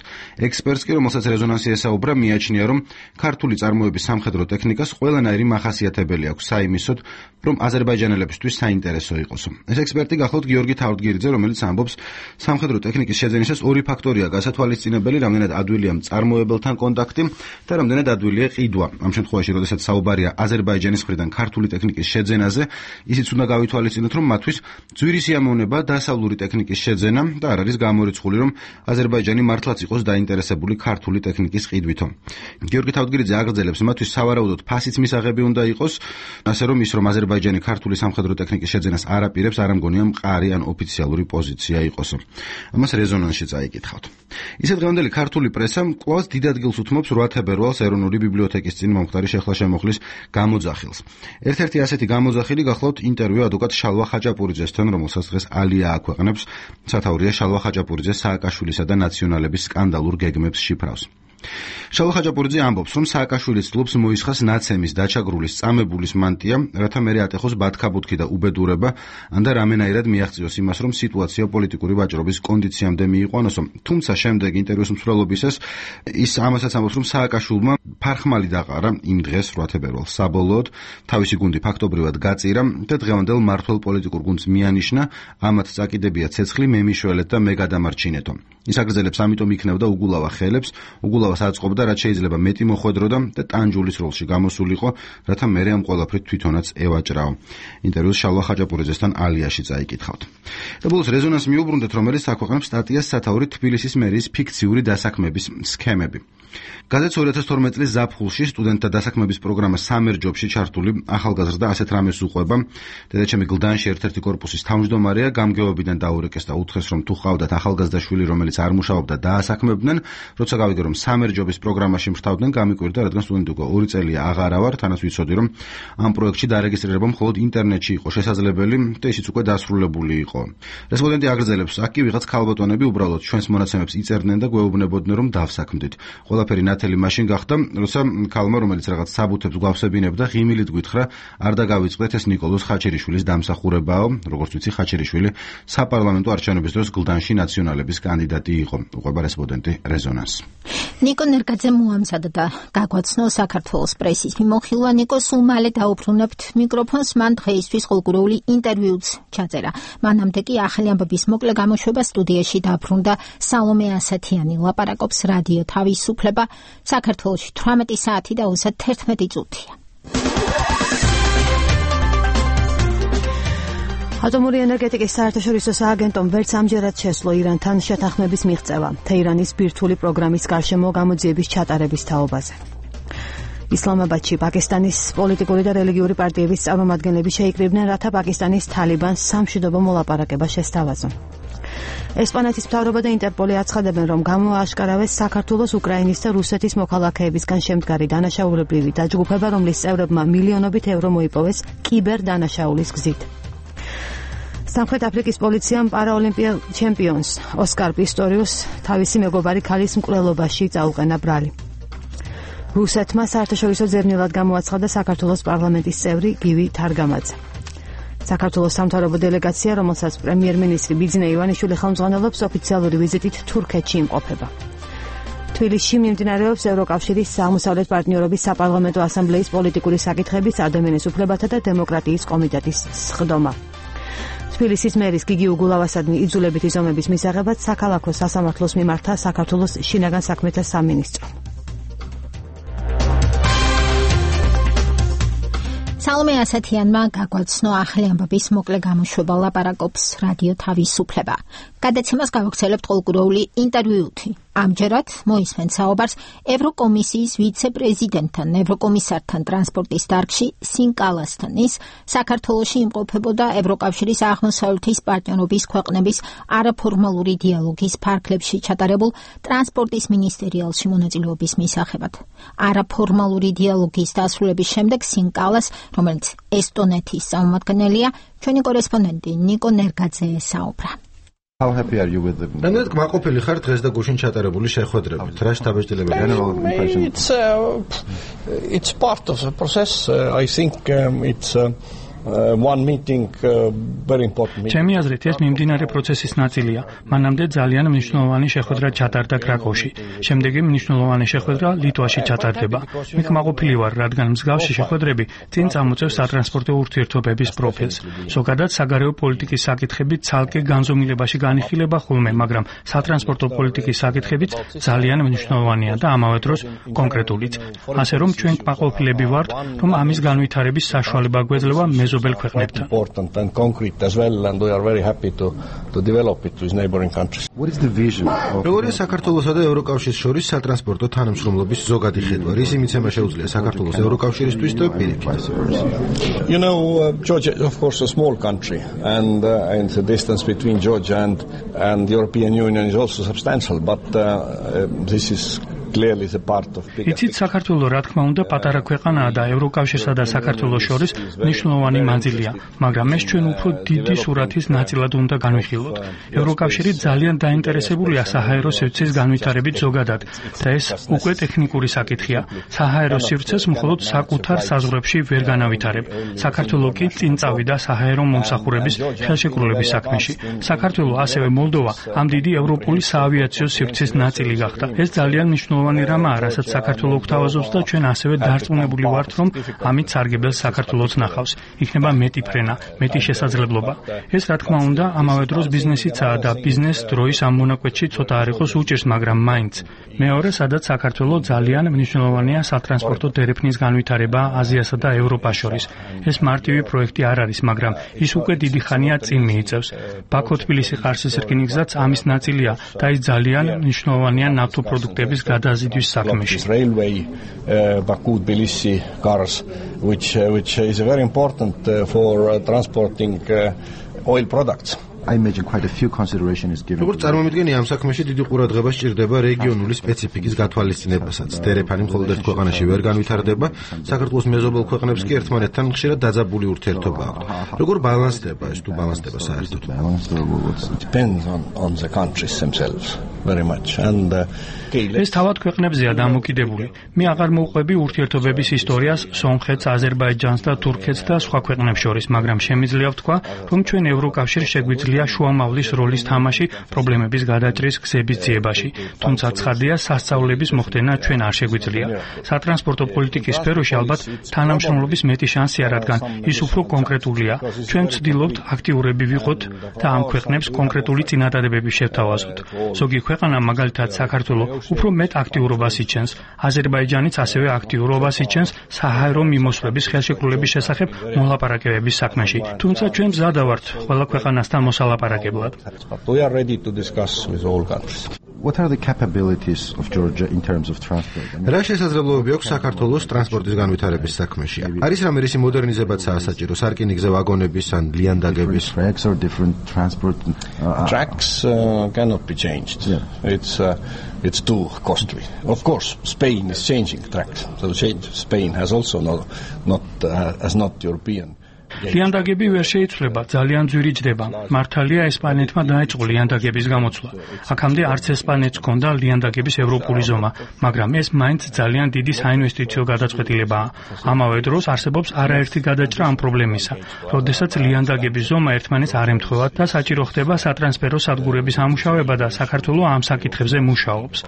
ექსპერტს კი, რომელსაც რეზონანსი ესაუბრა, მიაჩნია, რომ ქართული წარმოების სამხედრო ტექნიკას ყველანაირი მახასიათებელი აქვს საიმისოდ, რომ აზერბაიჯანელებისთვის საინტერესო იყოს. ეს ექსპერტი გახლავთ გიორგი თავდგირიძე, რომელიც ამბობს, სამხედრო ტექნიკის შეძენისას ორი ფაქტორია გასათვალისწინებელი, რამდენად ადვილია მწარმოებელთან კონტაქტი და რამდენად ადვილია ყიდვა. ამ შემთხვევაში, როდესაც საუბარია აზერბაიჯანის მხრიდან ქართული ტექნიკის შეძენაზე, ისიც უნდა გავითვალისწინოთ, რომ მათთვის ძვირი სიამოვნება დასავლური ტექნიკის შეძენა და არ არის გამორიცხული, რომ აზერბაიჯანი მართლაც იყოს დაინტერესებული ქართული ტექნიკის ყიდვითო. გიორგი თავდგირიძე აგრძელებს, მათთვის სავარაუდოდ ფასიც მისაღები უნდა იყოს, ასე რომ ის, რომ აზერბაიჯანი ქართული სამხედრო ტექნიკის შეძენას არ აპირებს, არ ამგონია მყარი ან ოფიციალური პოზიცია იყოს. ამას რეზონანსში წაიკითხავთ. ისე დღევანდელი ქართული პრესა კვლავ დიდ ადგილს უთმობს 8 თებერვალს ეროვნული ბიბლიოთეკის წინ მომხდარი შეხლა-შემოხლის გამოძახილს. ერთ-ერთი ასეთი გამოძახილი გახლავთ ინტერვიუ ადვოკატ შალვა ხაჭაპურიძესთან, რომელსაც დღეს ალია აქვეყნებს. სათაურია შალვა ხაჭაპურიძეს სააკაშვილისა და ნაციონალების სკანდალურ გეგმებს შიფრავს. შალვა ხაჭაპურიძე ამბობს, რომ სააკაშვილი ცდილობს მოისხას ნაცემის, დაჩაგრულის, წამებულის მანტია, რათა მერე ატეხოს ბათქაბუთქი და უბედურება, ან და რამენაირად მიაღწიოს იმას, რომ სიტუაცია პოლიტიკური ვაჭრობის კონდიციამდე მიიყვანოსო. თუმცა შემდეგ ინტერვიუს მსვლელობისას ის ამასაც ამბობს, რომ სააკაშვილმა ფარხმალი დაყარა იმ დღეს 8 თებერვალს. საბოლოოდ თავისი გუნდი ფაქტობრივად გაწირა და დღევანდელ მმართველ პოლიტიკურ გუნდს მიანიშნა, ამათ წაკიდებია ცეცხლი, მე მიშველეთ და მე გადამარჩინეთო. ის აგრძელებს, ამიტომ იქნებდა უგულავა ხელებს, უგულავას აწყობდა, რაც შეიძლება მეტი მოხვედროდა და ტანჯულის როლში გამოსულიყო, რათა მერე ამ ყველაფრით თვითონაც ევაჭრაო. ინტერვიუს შალვა ხაჭაპურიძესთან ალიაში წაიკითხავთ. და ბოლოს რეზონანსს მიუბრუნდეთ, რომელიც აქვეყნებს სტატიას სათაური თბილისის მერიის ფიქციური დასაქმების სქემები. გაზეთს 2012 წლის ზაფხულში სტუდენტთა დასაქმების პროგრამა სამერჯობში ჩართული ახალგაზრდა ასეთ რამეს უყვება. დედაჩემი გლდანში ერთ-ერთი კორპუსის თავმჯდომარეა, გამგეობიდან დაურეკეს და უთხრეს, რომ თუ ყავდათ ახალგაზრდა შვილი, რომელიც არ მუშაობდა, დაასაქმებდნენ. როცა გავიგე, რომ სამერჯობის პროგრამაში მრთავდნენ, გამიკვირდა, რადგან სტუდენტი უკვე 2 წელია აღარა ვარ, თანაც ვიცოდი, რომ ამ პროექტში დარეგისტრირება მხოლოდ ინტერნეტში იყო შესაძლებელი და ისიც უკვე დასრულებული იყო. რესპონდენტი აგრძელებს, აქ კი ვიღაც ქალბატონები უბრალოდ ჩვენს მონაცემებს იწერდნენ და გვეუბნებოდნენ, რომ დავსაქმდით. ყველაფერი ნათელი მაშინ გახდა, როცა ქალმა, რომელიც რაღაც საბუთებს გვავსებინებდა, ღიმილით გვითხრა, არ დაგავიწყდეთ, ეს ნიკოლოზ ხაჩერიშვილის დამსახურებაო. როგორც ვიცი, ხაჩერიშვილი საპარლამენტო არჩევნების დროს გლდანში ნაციონალების კანდიდატი იყო. უყვება რესპონდენტი რეზონანს. ნიკო ნერგაძე მოამზადა და გაგვაცნო საქართველოს პრესის მიმოხილვა. ნიკო, სულ მალე დაუბრუნებთ მიკროფონს, მან დღეისთვის ხოლგურეული ინტერვიუც ჩაწერა. მანამდე კი ახალი ამბების მოკლე გამოშვება სტუდიაში დაბრუნდა სალომე ასათიანი. ლაპარაკობს რადიო თავისუფლება. საქართველოში 18 საათი და 31 წუთია. ატომური ენერგეტიკის საერთაშორისო სააგენტომ ვერც ამჯერად შესძლო ირანთან შეთანხმების მიღწევა თეირანის ბირთვული პროგრამის გარშემო გამოძიების ჩატარების თაობაზე. ისლამაბადში პაკისტანის პოლიტიკური და რელიგიური პარტიების წარმომადგენლები შეიკრიბნენ, რათა პაკისტანის თალიბანს სამშვიდობო მოლაპარაკება შესთავაზონ. ესპანეთის მთავრობა და ინტერპოლი აცხადებენ, რომ გამოააშკარავეს საქართველოს, უკრაინის და რუსეთის მოქალაქეებისგან შემდგარი დანაშაულებრივი დაჯგუფება, რომლის წევრებმა მილიონობით ევრო მოიპოვეს კიბერდანაშაულის გზით. სამხრეთ აფრიკის პოლიციამ პარაოლიმპიელ ჩემპიონს ოსკარ პისტორიუსს თავისი მეგობარი ქალის მკვლელობაში წაუყენა ბრალი. რუსეთმა საერთაშორისო ძებნელად გამოაცხადა საქართველოს პარლამენტის წევრი გივი თარგამაძე. საქართველოს სამთავრობო დელეგაცია, რომელსაც პრემიერ-მინისტრი ბიძინა ივანიშვილი ხელმძღვანელობს, ოფიციალური ვიზიტით თურქეთში იმყოფება. თბილისში მიმდინარეობს ევროკავშირის აღმოსავლეთ პარტნიორობის საპარლამენტო ასამბლეის პოლიტიკური საკითხების, ადამიანის უფლებათა და დემოკრატიის კომიტეტის სხდომა. თბილისის მერის გიგი უგულავასადმი იძულებითი ზომების მისაღებად საქალაქო სასამართლოს მიმართა საქართველოს შინაგან საქმეთა სამინისტრო. სალომე ასათიანმა გაგვაცნო ახალი ამბების მოკლე გამოშვება, ლაპარაკობს რადიო თავისუფლება. გადაცემას გავაგრძელებთ ყოველკვირეული ინტერვიუთი. ამჯერად მოისმენთ საუბარს ევროკომისიის ვიცე-პრეზიდენტთან, ევროკომისართან ტრანსპორტის დარგში სინკალასთან. ის საქართველოში იმყოფებოდა ევროკავშირის აღმოსავლეთის პარტნიორობის ქვეყნების არაფორმალური დიალოგის ფარგლებში ჩატარებულ ტრანსპორტის მინისტერიალში მონაწილეობის მისაღებად. არაფორმალური დიალოგის დასრულების შემდეგ სინკალას, რომელიც ესტონეთის წარმომადგენელია, ჩვენი კორესპონდენტი ნიკო ნერგაძე საუბრა. How happy are you with them? Რამდენად კმაყოფილი ხარ დღეს და გუშინ ჩატარებული შეხვედრებით? რა შთაბეჭდილებაა? It's part of the process. I think it's ჩემი აზრით ეს მიმდინარე პროცესის ნაწილია. მანამდე ძალიან მნიშვნელოვანი შეხვედრა ჩატარდა კრაკოვში. შემდეგი მნიშვნელოვანი შეხვედრა ლიტვაში ჩატარდება. მე კმაყოფილი ვარ, რადგან მსგავსი შეხვედრები წინ წამოწევს სატრანსპორტო ურთიერთობების პროფილს. ზოგადად საგარეო პოლიტიკის საკითხები ცალკე განზომილებაში განიხილება ხოლმე, მაგრამ სატრანსპორტო პოლიტიკის საკითხებიც ძალიან მნიშვნელოვანია და ამავე დროს კონკრეტულიც. ასე რომ ჩვენ კმაყოფილები ვართ, რომ ამის განვითარების საშუალება გვეძლევა მეზობელ ქვეყნებთან. როგორია საქართველოსა და ევროკავშირის შორის სატრანსპორტო თანამშრომლობის ზოგადი ხედვა? რისი მიცემა შეუძლია საქართველოს ევროკავშირისთვის და პირიქით? Georgia is of course a small country and the distance between Georgia and the European Union is also substantial, but this is clearly the part of bigger. იცით, საქართველოს რა თქმა უნდა პატარა ქვეყანაა და ევროკავშირსა და საქართველოს შორის მნიშვნელოვანი მანძილია, მაგრამ ეს ჩვენ უფრო დიდი სურათის ნაწილად უნდა განვიხილოთ. ევროკავშირი ძალიან დაინტერესებულია საჰაერო სივრცის განვითარებით ზოგადად და ეს უკვე ტექნიკური საკითხია. საჰაერო სივრცეს მხოლოდ საკუთარ საზღვრებში ვერ განავითარებ. საქართველოს კი წინ წავიდა საჰაერო მომსახურების ხელშეკრულების საქმეში. საქართველოს ასევე მოლდოვა ამ დიდი ევროპული საავიაციო სივრცის ნაწილი გახდა. ეს ძალიან მნიშვნელოვანი რამაა, რასაც საქართველოს გვთავაზობს და ჩვენ ასევე დარწმუნებული ვართ, რომ ამით სარგებელს საქართველოს ნახავს. იქნება მეტი ფრენა, მეტი შესაძლებლობა. ეს რა თქმა უნდა, ამავე დროს ბიზნესიცაა და ბიზნეს დროის ამ მონაკვეთში ცოტა არ იყოს უჭირს, მაგრამ მაინც. მეორე, სადაც საქართველოს ძალიან მნიშვნელოვანია სატრანსპორტო დერეფნის განვითარება აზიასა და ევროპას შორის. ეს მარტივი პროექტი არ არის, მაგრამ ის უკვე დიდი ხანია წინ მიიწევს. ბაქო-თბილისი-ყარსის რკინიგზაც ამის ნაწილია და ის ძალიან მნიშვნელოვანია ნავთობპროდუქტების გადაზიდვის საქმეში. Railway Baku-Tbilisi cars, which is very important for transporting oil products. I imagine quite a few consideration is given. როგორც წარმომიდგენი, ამ საქმეში დიდი ყურადღება სჭირდება რეგიონული სპეციფიკის გათვალისწინებასაც. დერეფანი მხოლოდ ერთ ქვეყანაში ვერ განვითარდება, საქართველოს მეზობელ ქვეყნებს კი ერთმანეთთან ხშირად დაძაბული ურთიერთობა აქვთ. როგორ ბალანსდება ეს თუ ბალანსდება საერთოდ? Depends on the countries themselves very much and ეს თავად ქვეყნებზეა დამოკიდებული. მე აღარ მოვყვები ურთიერთობების ისტორიას სომხეთს, აზერბაიჯანს და თურქეთს და სხვა ქვეყნებს შორის, მაგრამ შემიძლია ვთქვა, რომ ჩვენ ევროკავშირს შეგვიძლია შუამავლის როლის თამაში პრობლემების გადაჭრის გზების ძიებაში. თუმცა ცხადია, სასწავლების მოხდენა ჩვენ არ შეგვიძლია. სატრანსპორტო პოლიტიკის სფეროში ალბათ თანამშრომლობის მეტი შანსია, რადგან ის უფრო კონკრეტულია. ჩვენ ვცდილობთ აქტიურები ვიყოთ და ამ ქვეყნებს კონკრეტული წინადადებები შევთავაზოთ. ზოგი ქვეყანა, მაგალითად საქართველოს, უფრო მეტ აქტიურობას იჩენს. აზერბაიჯანიც ასევე აქტიურობას იჩენს საჰაერო მიმოსვლების ხელშეკრულების შესახებ მოლაპარაკებების საქმეში. თუმცა ჩვენ მზადა ვართ ყველა ქვეყანასთან მოსალაპარაკებლად. We are ready to discuss with all countries. What are the capabilities of Georgia in terms of transport? რა შესაძლებლობები აქვს საქართველოს ტრანსპორტის განვითარების საქმეში? არის რამე რისი მოდერნიზებაც საჭირო, სარკინიგზო ვაგონების ან ლიანდაგების? Tracks or different transport tracks cannot be changed. It's too costly. Of course, Spain is changing tracks. So Spain has also not European. ლიანდაგები ვერ შეიცვლება, ძალიან ძვირი ჯდება. მართალია, ესპანეთმა დაიწყო ლიანდაგების გამოცვლა. აქამდე არც ესპანეთს ჰქონდა ლიანდაგების ევროპული ზომა, მაგრამ ეს მაინც ძალიან დიდი საინვესტიციო გადაწყვეტილებაა. ამავე დროს არსებობს არაერთი გადაჭრა ამ პრობლემისა. როდესაც ლიანდაგების ზომა ერთმანეთს არ ემთხვევა და საჭირო ხდება სატრანსფერო სადგურების ამუშავება და საქართველოს ამ საკითხებზე მუშაობს.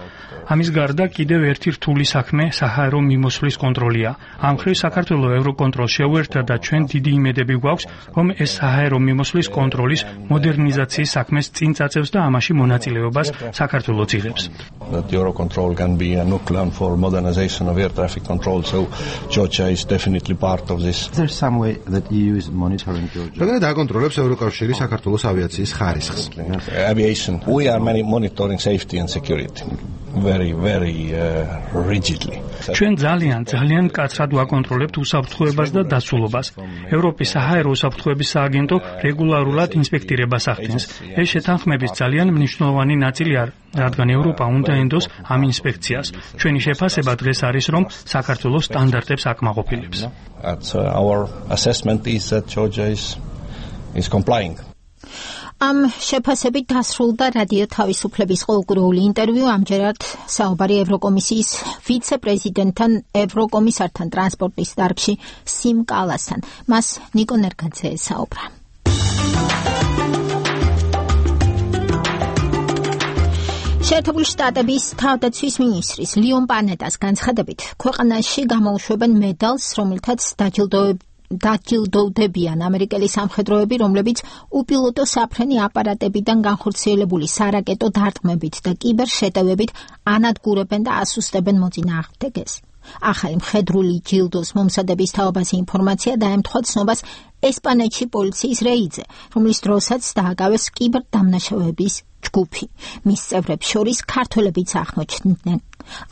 ამის გარდა კიდევ ერთი რთული საქმე საჰაერო მიმოსვლის კონტროლია. ამ მხრივ საქართველოს ევროკონტროლს შეუერთდა და ჩვენ დიდი იმედები გვაქვს, რომ ეს საჰაერო მიმოსვლის კონტროლის მოდერნიზაციის საქმეს წინ წაწევს და ამაში მონაწილეობას საქართველოს იღებს. That Eurocontrol can be a nucleon for modernization of air traffic control, so Georgia is definitely part of this. Is there some way that EU is monitoring Georgia? როგორ დაკონტროლებს ევროკავშირი საქართველოს ავიაციის ხარისხს? Aviation. We are monitoring safety and security. Very rigidly. ჩვენ ძალიან მკაცრად ვაკონტროლებთ უსაფრთხოებას და დაცულობას. ევროპის საჰაერო უსაფრთხოების სააგენტო რეგულარულად ინსპექტირებას ახდენს. ეს შეთანხმების ძალიან მნიშვნელოვანი ნაწილია, რადგან ევროპა უნდა ენდოს ამ ინსპექციას. ჩვენი შეფასება დღეს არის, რომ საქართველოს სტანდარტებს აკმაყოფილებს. Our assessment is that Georgia is complying. ამ შეფასებით დასრულდა რადიო თავისუფლების ყოველკვირეული ინტერვიუ. ამჯერად საუბარი ევროკომისიის ვიცე-პრეზიდენტთან, ევროკომისართან ტრანსპორტის დარგში სიმ კალასთან. მას ნიკო ნერგაძე საუბრა. შეერთებული შტატების თავდაცვის მინისტრის ლიონ პანეტას განცხადებით, ქვეყანაში გამოუშვებენ მედალს, რომელთაც დაჯილდოვდებიან ამერიკელი სამხედროები, რომლებიც უპილოტო საფრენი აპარატებიდან განხორციელებული სარაკეტო დარტყმებით და კიბერშეტევებით ანადგურებენ და ასუსტებენ მოწინააღმდეგეს. ახალი მხედრული ჯილდოს მომზადების თაობაზე ინფორმაცია დაემთხვა ცნობას ესპანეთში პოლიციის რეიდზე, რომლის დროსაც დააკავეს კიბერდამნაშავეების ჯგუფი. მის წევრებს შორის ქართველებიც აღმოჩნდნენ.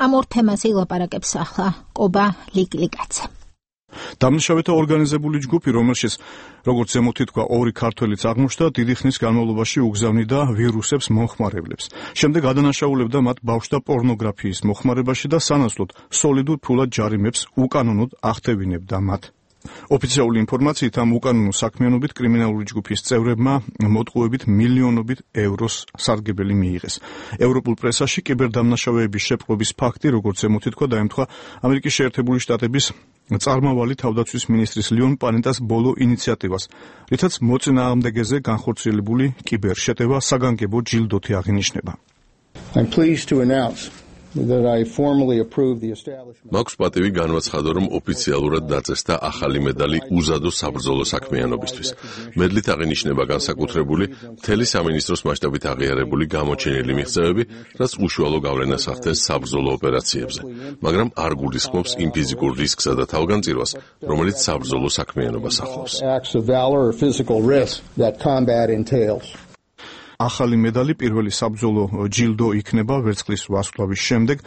ამ ორ თემაზე ილაპარაკებს ახლა კობა ლიკლიკაძე. დამნაშავეთა ორგანიზებული ჯგუფი, რომელშიც როგორც ზემოთ ითქვა, ორი ქართველიც აღმოჩნდა, დიდი ხნის განმავლობაში უგზავნიდა ვირუსებს მომხმარებლებს. შემდეგ ადანაშაულებდა მათ ბავშვთა პორნოგრაფიის მოხმარებაში და სანაცვლოდ სოლიდურ ფულად ჯარიმებს უკანონოდ ახდევინებდა მათ. ოფიციალური ინფორმაციით ამ უკანონო საქმიანობით კრიმინალური ჯგუფის წევრებმა მოტყუებით მილიონობით ევროს სარგებელი მიიღეს. ევროპულ პრესაში კიბერდამნაშავეების შეპყრობის ფაქტი, როგორც ზემოთ ითქვა, დაემთხვა ამერიკის შეერთებული შტატების წარმავალი თავდაცვის მინისტრის ლიონ პანეტას ბოლო ინიციატივას, რითაც მოწინააღმდეგეზე განხორციელებული კიბერშეტევა საგანგებო ჯილდოთი აღინიშნება. I'm pleased to announce that I formally approve the establishment. მაქვს პატივი განვაცხადო, რომ ოფიციალურად დაწესდა ახალი მედალი უზადო საბრძოლო საქმიანობისთვის. მედლით აღინიშნება განსაკუთრებული მთელი სამინისტროს მასშტაბით აღიარებული გამოჩენილი მიღწევები, რაც უშუალო გავლენას ახდენს საბრძოლო ოპერაციებზე, მაგრამ არ გულისხმობს იმ ფიზიკურ რისკსა და თავგანწირვას, რომელიც საბრძოლო საქმიანობას ახლავს. Acts of valor or physical risk that combat entails. ახალი მედალი პირველი საბრძოლო ჯილდო იქნება ვერცხლის ვარსკვლავის შემდეგ,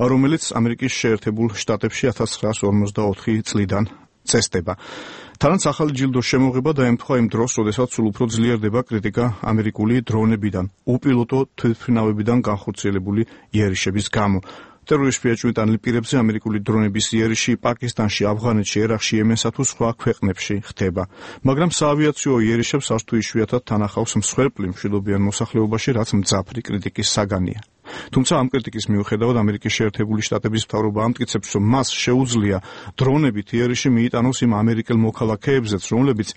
რომელიც ამერიკის შეერთებულ შტატებში 1954 წლიდან წესდება. თანაც ახალი ჯილდოს შემოღება დაემთხვა იმ დროს, როდესაც სულ უფრო ძლიერდება კრიტიკა ამერიკული დრონებიდან, უპილოტო თვითმფრინავებიდან განხორციელებული იერიშების გამო. ტერორისტ შეჭვიტანილ პირებზე ამერიკული დრონების იერიში პაკისტანში, ავღანეთში, ერაყში, იემენსა თუ სხვა ქვეყნებში ხდება. მაგრამ საავიაციო იერიშებს არც თუ იშვიათად თანახავს მსხვერპლი მშვიდობიან მოსახლეობაში, რაც მძაფრი კრიტიკის საგანია. თუმცა ამ კრიტიკის მიუხედავად ამერიკის შეერთებული შტატების მთავრობა ამტკიცებს, რომ მას შეუძლია დრონებით იერიში მიიტანოს იმ ამერიკელ მოქალაქეებზეც, რომლებიც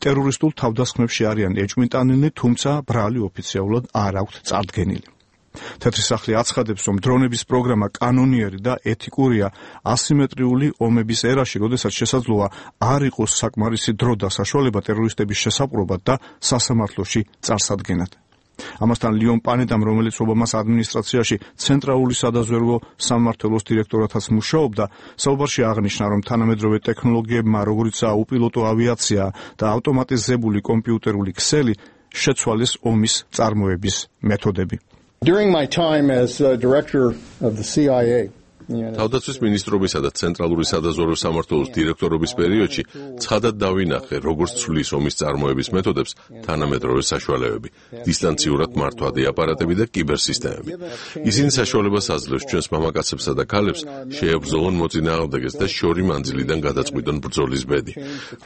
ტერორისტულ თავდასხმებში არიან ეჭვმიტანილნი, თუმცა ბრალი ოფიციალურად არ აქვთ წარდგენილი. თეთრი სახლი აცხადებს, რომ დრონების პროგრამა კანონიერი და ეთიკურია ასიმეტრიული ომების ერაში, როდესაც შესაძლოა არ იყოს საკმარისი დრო და საშუალება ტერორისტების შესაპყრობად და სასამართლოში წარსადგენად. ამასთან ლიონ პანეტამ, რომელიც ობამას ადმინისტრაციაში ცენტრალური სადაზვერვო სამმართველოს დირექტორათაც მუშაობდა, საუბარში აღნიშნა, რომ თანამედროვე ტექნოლოგიებმა, როგორიცაა უპილოტო ავიაცია და ავტომატიზებული კომპიუტერული ქსელი, შეცვალეს ომის წარმოების მეთოდები. During my time as director of the CIA, თავდაცვის მინისტრობისა და ცენტრალური სადაზვერვო სამმართველოს დირექტორობის პერიოდში ცხადად დავინახე, როგორც ცვლის ომის წარმოების მეთოდებს თანამედროვე საშუალებები, დისტანციურად მართვადი აპარატები და კიბერსისტემები. ისინი საშუალებას აძლევს ჩვენს მამაკაცებსა და ქალებს შეებრძოლონ მოწინააღმდეგეს და შორი მანძილიდან გადაწყვიტონ ბრძოლის ბედი.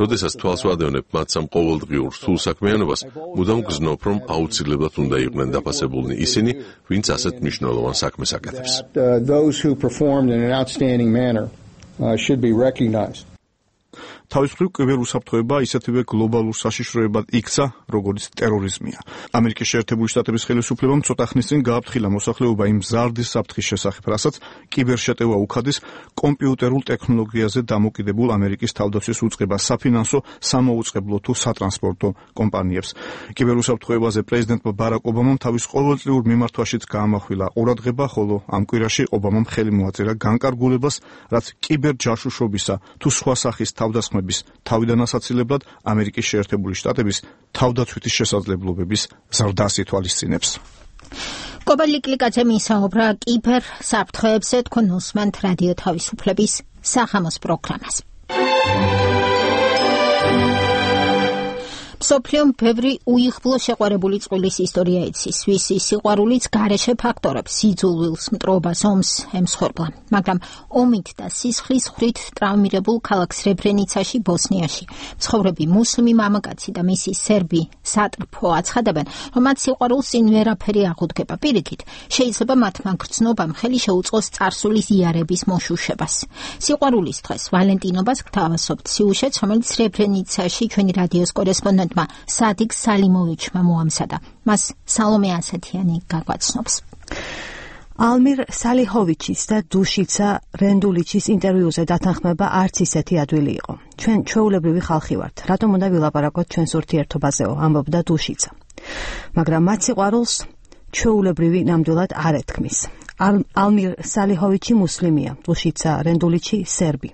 როდესაც თვალს ვადევნებ მათ სამ ყოველდღიურ რთულ საქმიანობას, მუდამ გზნობ, რომ აუცილებლად უნდა იყვნენ დაფასებულნი ისინი, ვინც ასეთ მნიშვნელოვან საქმეს აკეთებს. in an outstanding manner should be recognized. თავის მხრივ კიბერუსაფრთხოება ისეთივე გლობალურ საშიშროებად იქცა, როგორც ტერორიზმია. ამერიკის შეერთებული შტატების ხელისუფლებამ ცოტა ხნის წინ გააფრთხილა მოსახლეობა იმ ზარდის საფრთხის შესახებ, რასაც კიბერშეტევა უხადის კომპიუტერულ ტექნოლოგიაზე დამოკიდებულ ამერიკის თავდაცვის უწყება საფინანსო, სამოუწყებლო თუ სატრანსპორტო კომპანიებს. კიბერუსაფრთხოებაზე პრეზიდენტმა ბარაკ ობამამ თავის ყოველწლიურ მიმართვაშიც გაამახვილა ყურადღება, ხოლო ამ კვირაში ობამამ ხელი მოაწერა განკარგულებას, რაც კიბერჯაშუშობისა თუ სხვა სახის თავდასხმების თავიდან ასაცილებლად ამერიკის შეერთებული შტატების თავდაცვითი შესაძლებლობების ზრდას ითვალისწინებს. კობა ლიკლიკაძემ ისაუბრა კიბერ საფრთხეებზე, თქვენ უსმენთ რადიო თავისუფლების სახამოს პროგრამას. მსოფლიომ ბევრი უიღბლო შეყვარებული წყვილის ისტორია იცის, ვისი სიყვარულიც გარეშე ფაქტორებს, სიძულვილს, მტრობას, ომს ემსხვერპლა. მაგრამ ომით და სისხლის ხრით ტრავმირებულ ქალაქ სრებრენიცაში, ბოსნიაში, მცხოვრები მუსლიმი მამაკაცი და მისი სერბი სატრფო აცხადებენ, რომ მათ სიყვარულს წინ ვერაფერი აღუდგება. პირიქით, შეიძლება მათმა გრძნობამ ხელი შეუწყოს წარსულის იარების მოშუშებას. სიყვარულის დღეს ვალენტინობას გთავაზობთ სიუჟეტს, რომელიც სრებრენიცაში ჩვენი რადიოს კორესპონდენტმა სადიგ სალიმოვიჩმა მოამზადა. მას სალომე ასათიანი გაგვაცნობს. ალმირ სალიჰოვიჩის და დუშიცა რენდულიჩის ინტერვიუზე დათანხმება არც ისეთი ადვილი იყო. ჩვენ ჩვეულებრივი ხალხი ვართ. რატომ უნდა ვილაპარაკოთ ჩვენს ურთიერთობაზეო, ამბობდა დუშიცა. მაგრამ მათ სიყვარულს ჩვეულებრივი ნამდვილად არ ეთქმის. ალმირ სალიჰოვიჩი მუსლიმია, დუშიცა რენდულიჩი სერბი.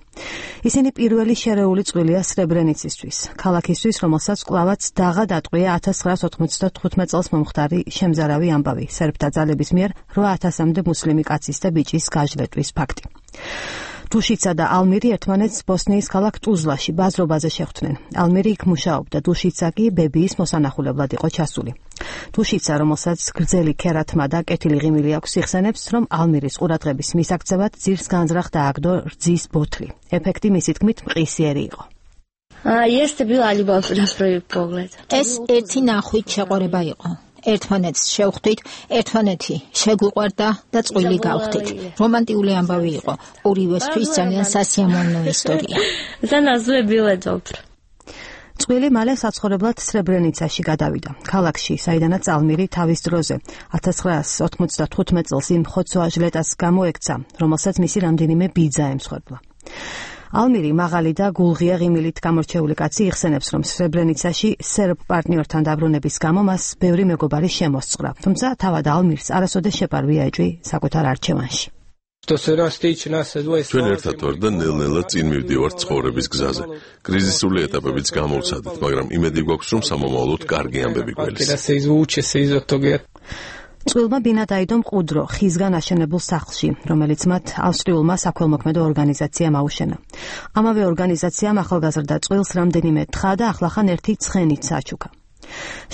ისინი პირველი შერეული წვლილია სრებრენიცისთვის, ქალაქისთვის, რომელსაც კვლავაც დაღა დატყვია 1995 წელს მომხდარი შემზარავი ამბავი, სერბთა ძალების მიერ 8000-მდე მუსლიმი კაცის და ბიჭის გაჟლეტვის ფაქტი. დუშიცა და ალმირი ერთმანეთს ბოსნიის ქალაქ ტუზლაში ბაზრობაზე შეხვდნენ. ალმირი იქ მუშაობდა, დუშიცა კი ბებიის მოსანახულებლად იყო ჩასული. დუშიცა, რომელსაც გრძელი ქერათმა და კეთილი ღიმილი აქვს, იხსენებს, რომ ალმირის ყურადღების მისაქცევად ძირს განზრახ დააგდო რძის ბოთლი. ეფექტი მისი თქმით მყისიერი იყო. ეს ერთი ნახვით შეყვარება იყო. ერთმანეთს შევხვდით, ერთმანეთი შეგვიყვარდა და წყვილი გავხდით. რომანტიული ამბავი იყო. ორივესთვის ძალიან სასიამოვნო ისტორია. წყვილი მალე საცხოვრებლად სრებრენიცაში გადავიდა. ქალაქში, საიდანაც ალმირი თავის დროზე 1995 წელს იმ ხოცვა-ჟლეტას გამოექცა, რომელსაც მისი რამდენიმე ბიძა ემსხვერპლა. ალმირი მაღალი და გულღია ღიმილით გამორჩეული კაცი იხსენებს, რომ სრებრენიცაში სერბ პარტნიორთან დაბრუნების გამო მას ბევრი მეგობარი შემოსწრა, თუმცა თავად ალმირს არასოდეს შეპარვია ეჭვი საკუთარ არჩევანში. ჩვენ ერთად ვარ და ნელ-ნელა წინ მივდივართ ცხოვრების გზაზე. კრიზისული ეტაპებიც გამოვცადეთ, მაგრამ იმედი გვაქვს, რომ სამომავლოდ კარგი ამბები გველის. წყვილმა ბინა დაიდო მყუდრო, ხისგან აშენებულ სახლში, რომელიც მათ ავსტრიულმა საქველმოქმედო ორგანიზაციამ აუშენა. ამავე ორგანიზაციამ ახალგაზრდა წყვილს რამდენიმე თხა და ახლახან ერთი ცხენიც აჩუქა.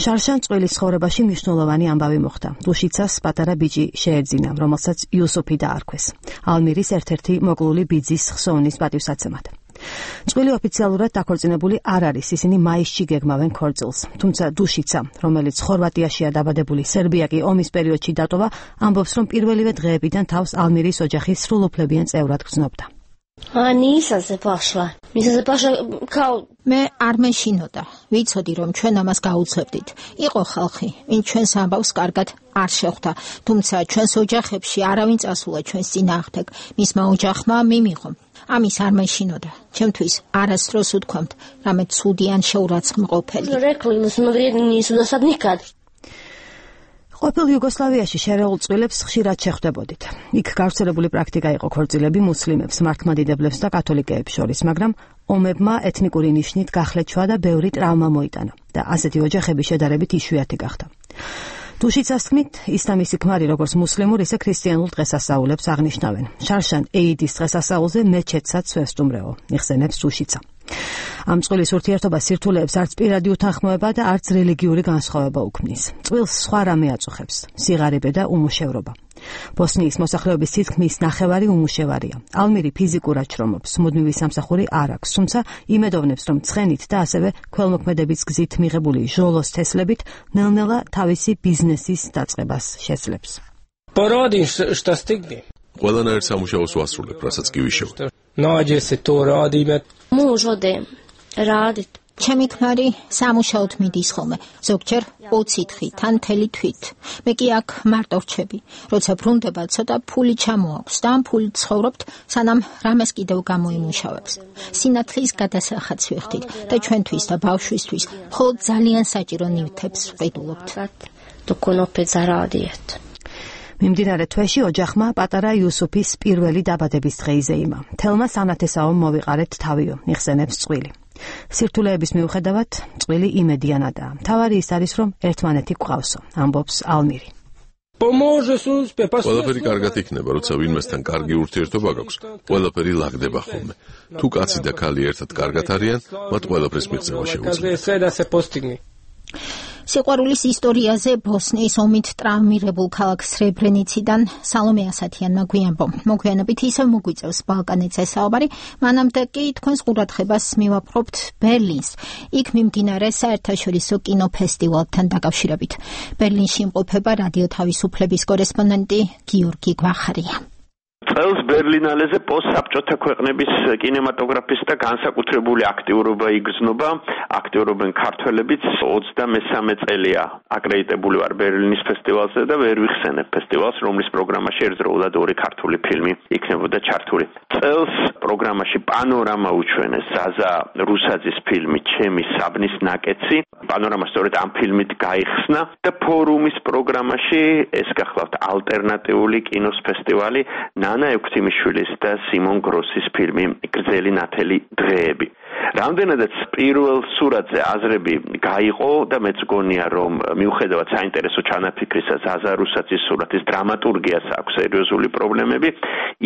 შარშან წყვილის ცხოვრებაში მნიშვნელოვანი ამბავი მოხდა. დუშიცას პატარა ბიჭი შეეძინა, რომელსაც იუსუფი დაარქვეს. ალმირის ერთ-ერთი მოკლული ბიძის ხსოვნის პატივსაცემად. წყვილი ოფიციალურად დაქორწინებული არ არის, ისინი მაისში გეგმავენ ქორწილს. თუმცა დუშიცა, რომელიც ხორვატიაშია დაბადებული, სერბია კი ომის პერიოდში დატოვა, ამბობს, რომ პირველივე დღეებიდან თავს ალმირის ოჯახის სრულუფლებიან წევრად გრძნობდა. მე არ მეშინოდა. ვიცოდი, რომ ჩვენ ამას გაუცებდით. იყო ხალხი, ვინც ჩვენს ამბავს კარგად არ შეხვდა, თუმცა ჩვენს ოჯახებში არავინ წასულა ჩვენს წინააღმდეგ. მისმა ოჯახმა მიმიღო. ამის არ მეშინოდა. ჩემთვის არასდროს უთქვამთ, რამე ცუდი ან შეურაცხმყოფელი. ყოფილ იუგოსლავიაში შერეულ წყვილებს ხშირად შეხვდებოდით. იქ გავრცელებული პრაქტიკა იყო ქორწილები მუსლიმებს, მართლმადიდებლებს და კათოლიკეებს შორის, მაგრამ ომებმა ეთნიკური ნიშნით გახლეჩვა და ბევრი ტრავმა მოიტანა და ასეთი ოჯახები შედარებით იშვიათი გახდა. დუშიცას თქმით, ისლამის ქმარი როგორც მუსლიმურ, ისე ქრისტიანულ დღესასწაულებს აღნიშნავენ. შარშან ეიდის დღესასწაულზე მეჩეთსაც ვესტუმრეო, იხსენებს დუშიცა. ამ წყვილის ურთიერთობა სირთულეებს არც პირადი უთანხმოება და არც რელიგიური განსხვავება უქმნის. წყვილს სხვა რამე აწუხებს, სიღარიბე და უმუშევრობა. ბოსნიის მოსახლეობის თითქმის ნახევარი უმუშევარია. ალმირი ფიზიკურად შრომობს, მუდმივი სამსახური არ აქვს, თუმცა იმედოვნებს, რომ ცხენით და ასევე ქველმოქმედების გზით მიღებული ჟოლოს თესლებით ნელ-ნელა თავისი ბიზნესის დაწყებას შეძლებს. ყველანაირ სამუშაოს ვასრულებ, რასაც კი ვიშევ. ჩემი ქმარი სამუშაოდ მიდის ხოლმე, ზოგჯერ 20 თხით, თან მთელი თვით. მე კი აქ მარტო რჩები. როცა ბრუნდება, ცოტა ფული ჩამოაქვს და ამ ფულით ცხოვრობთ, სანამ რამეს კიდევ გამოიმუშავებს. სინათლის გადასახადს ვიხდით და ჩვენთვის და ბავშვისთვის მხოლოდ ძალიან საჭირო ნივთებს ვყიდულობთ. მიმდინარე თვეში ოჯახმა პატარა იუსუფის პირველი დაბადების დღე იზეიმა. თელმა სანათესაომ მოვიყარეთ თავიო, იხსენებს წყვილი. სირთულეების მიუხედავად, წყვილი იმედიანადაა. მთავარი ის არის, რომ ერთმანეთი გვყავსო, ამბობს ალმირი. ყველაფერი კარგად იქნება, როცა ვინმესთან კარგი ურთიერთობა გაქვს, ყველაფერი ლაგდება ხოლმე. თუ კაცი და ქალი ერთად კარგად არიან, მათ ყველაფრის მიღწევა შეუძლია. სიყვარულის ისტორიაზე ბოსნიის ომით ტრავმირებულ ქალაქ სრებრენიციდან სალომე ასათიანმა გვიანბო. მოგვიანებით ისევ მოგვიწევს ბალკანეთზე საუბარი, მანამდე კი თქვენს ყურადღებას მივაპყრობთ ბერლინს. იქ მიმდინარე საერთაშორისო კინოფესტივალთან დაკავშირებით. ბერლინში იმყოფება რადიო თავისუფლების კორესპონდენტი გიორგი გვახარია. წელს ბერლინალეზე პოსტსაბჭოთა ქვეყნების კინემატოგრაფისტთა განსაკუთრებული აქტიურობა იგრძნობა, აქტიურობენ ქართველებიც 23 წელია აკრედიტებული ვარ ბერლინის ფესტივალზე და ვერ ვიხსენებ ფესტივალს, რომლის პროგრამაში ერთდროულად 2 ქართული ფილმი იქნებოდა ჩართული. წელს პროგრამაში პანორამა უჩვენეს ზაზა რუსაძის ფილმი ჩემი საბნის ნაკეცი. პანორამა სწორედ ამ ფილმით გაიხსნა და ფორუმის პროგრამაში ეს გახლავთ ალტერნატიული კინოს ფესტივალი ნანა ექვთიმიშვილის და სიმონ გროსის ფილმი გრძელი ნათელი დღეები. რამდენადაც პირველ სურათზე აზრები გაიყო და მეც გონია რომ მიუხედავად საინტერესო ჩანაფიქრისა ზაზა რუსაძის სურათის დრამატურგიას აქვს სერიოზული პრობლემები,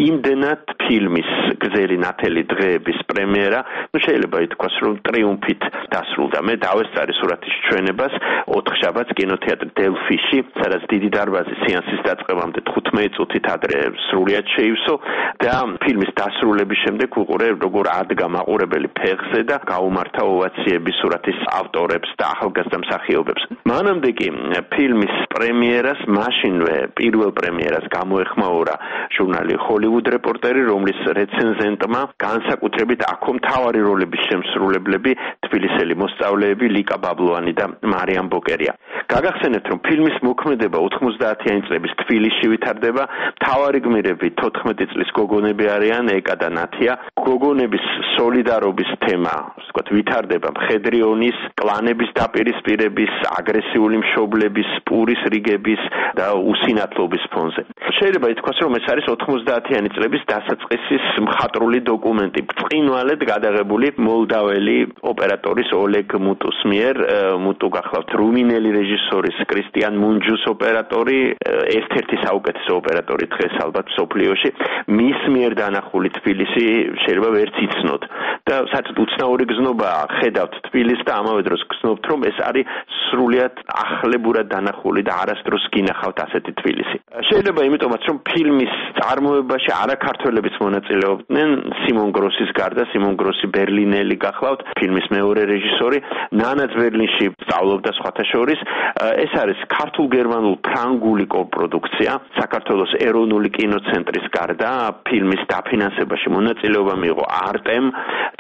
იმდენად ფილმის გრძელი ნათელი დღეების პრემიერა, შეიძლება ითქვას რომ ტრიუმფით დასრულდა. მე დავესწარი სურათის ჩვენებას 4 შაბათს კინოთეატრ დელფიში, სადაც დიდი დარბაზი სეანსის დაწყებამდე 15 წუთით ადრე სრულიად შეივსო და ფილმის დასრულების შემდეგ უყურე როგორ ადგა მაყურებელი ფეხზე და გაუმართა ოვაციები სურათის ავტორებს და ახალგაზრდა მსახიობებს. მანამდე კი ფილმის პრემიერას მაშინვე პირველ პრემიერას გამოეხმაურა ჟურნალი Hollywood Reporter, რომლის რეცენზენტმა განსაკუთრებით აქ მთავარი როლების შემსრულებლები თბილისელი მოსწავლეები ლიკა ბაბლოვანი და მარიამ ბოკერია. გაგახსენებთ რომ ფილმის მოქმედება 90-იანი წლების თბილისში ვითარდება, მთავარი გმირები 14 წლის გოგონები არიან ეკა და ნათია. გოგონების სოლიდარობის თემა, ვთქვათ, ვითარდება მხედრიონის, კლანების დაპირისპირების, აგრესიული მშობლების, პურის რიგების და უსინათლობის ფონზე. შეიძლება ითქვას, რომ ეს არის 90-იანი წლების დასაწყისის მხატვრული დოკუმენტი, ბრწყინვალედ გადაღებული მოლდაველი ოპერატორის ოლეგ მუტუს მიერ. მუტუ გახლავთ რუმინელი რეჟისორის კრისტიან მუნჯუს ოპერატორი, ერთ-ერთი საუკეთესო ოპერატორი დღეს ალბათ მსოფლიოში. მის მიერ დანახული თბილისი შეიძლება ვერც იცნოთ და საერთოდ უცნაური გზნობაა, ხედავთ თბილისს და ამავე დროს გზნობთ რომ ეს არის სრულიად ახლებურად დანახული და არასდროს გინახავთ ასეთი თბილისი. შეიძლება იმიტომაც რომ ფილმის წარმოებაში არაქართველებიც მონაწილეობდნენ, სიმონ გროსის გარდა, სიმონ გროსი ბერლინელი გახლავთ, ფილმის მეორე რეჟისორი, ნანაც ბერლინში სწავლობდა სხვათა შორის. ეს არის ქართულ-გერმანულ-ფრანგული კოპროდუქცია, საქართველოს ეროვნული კინოცენტრის გარდა ფილმის დაფინანსებაში მონაწილეობა მიიღო არტემ,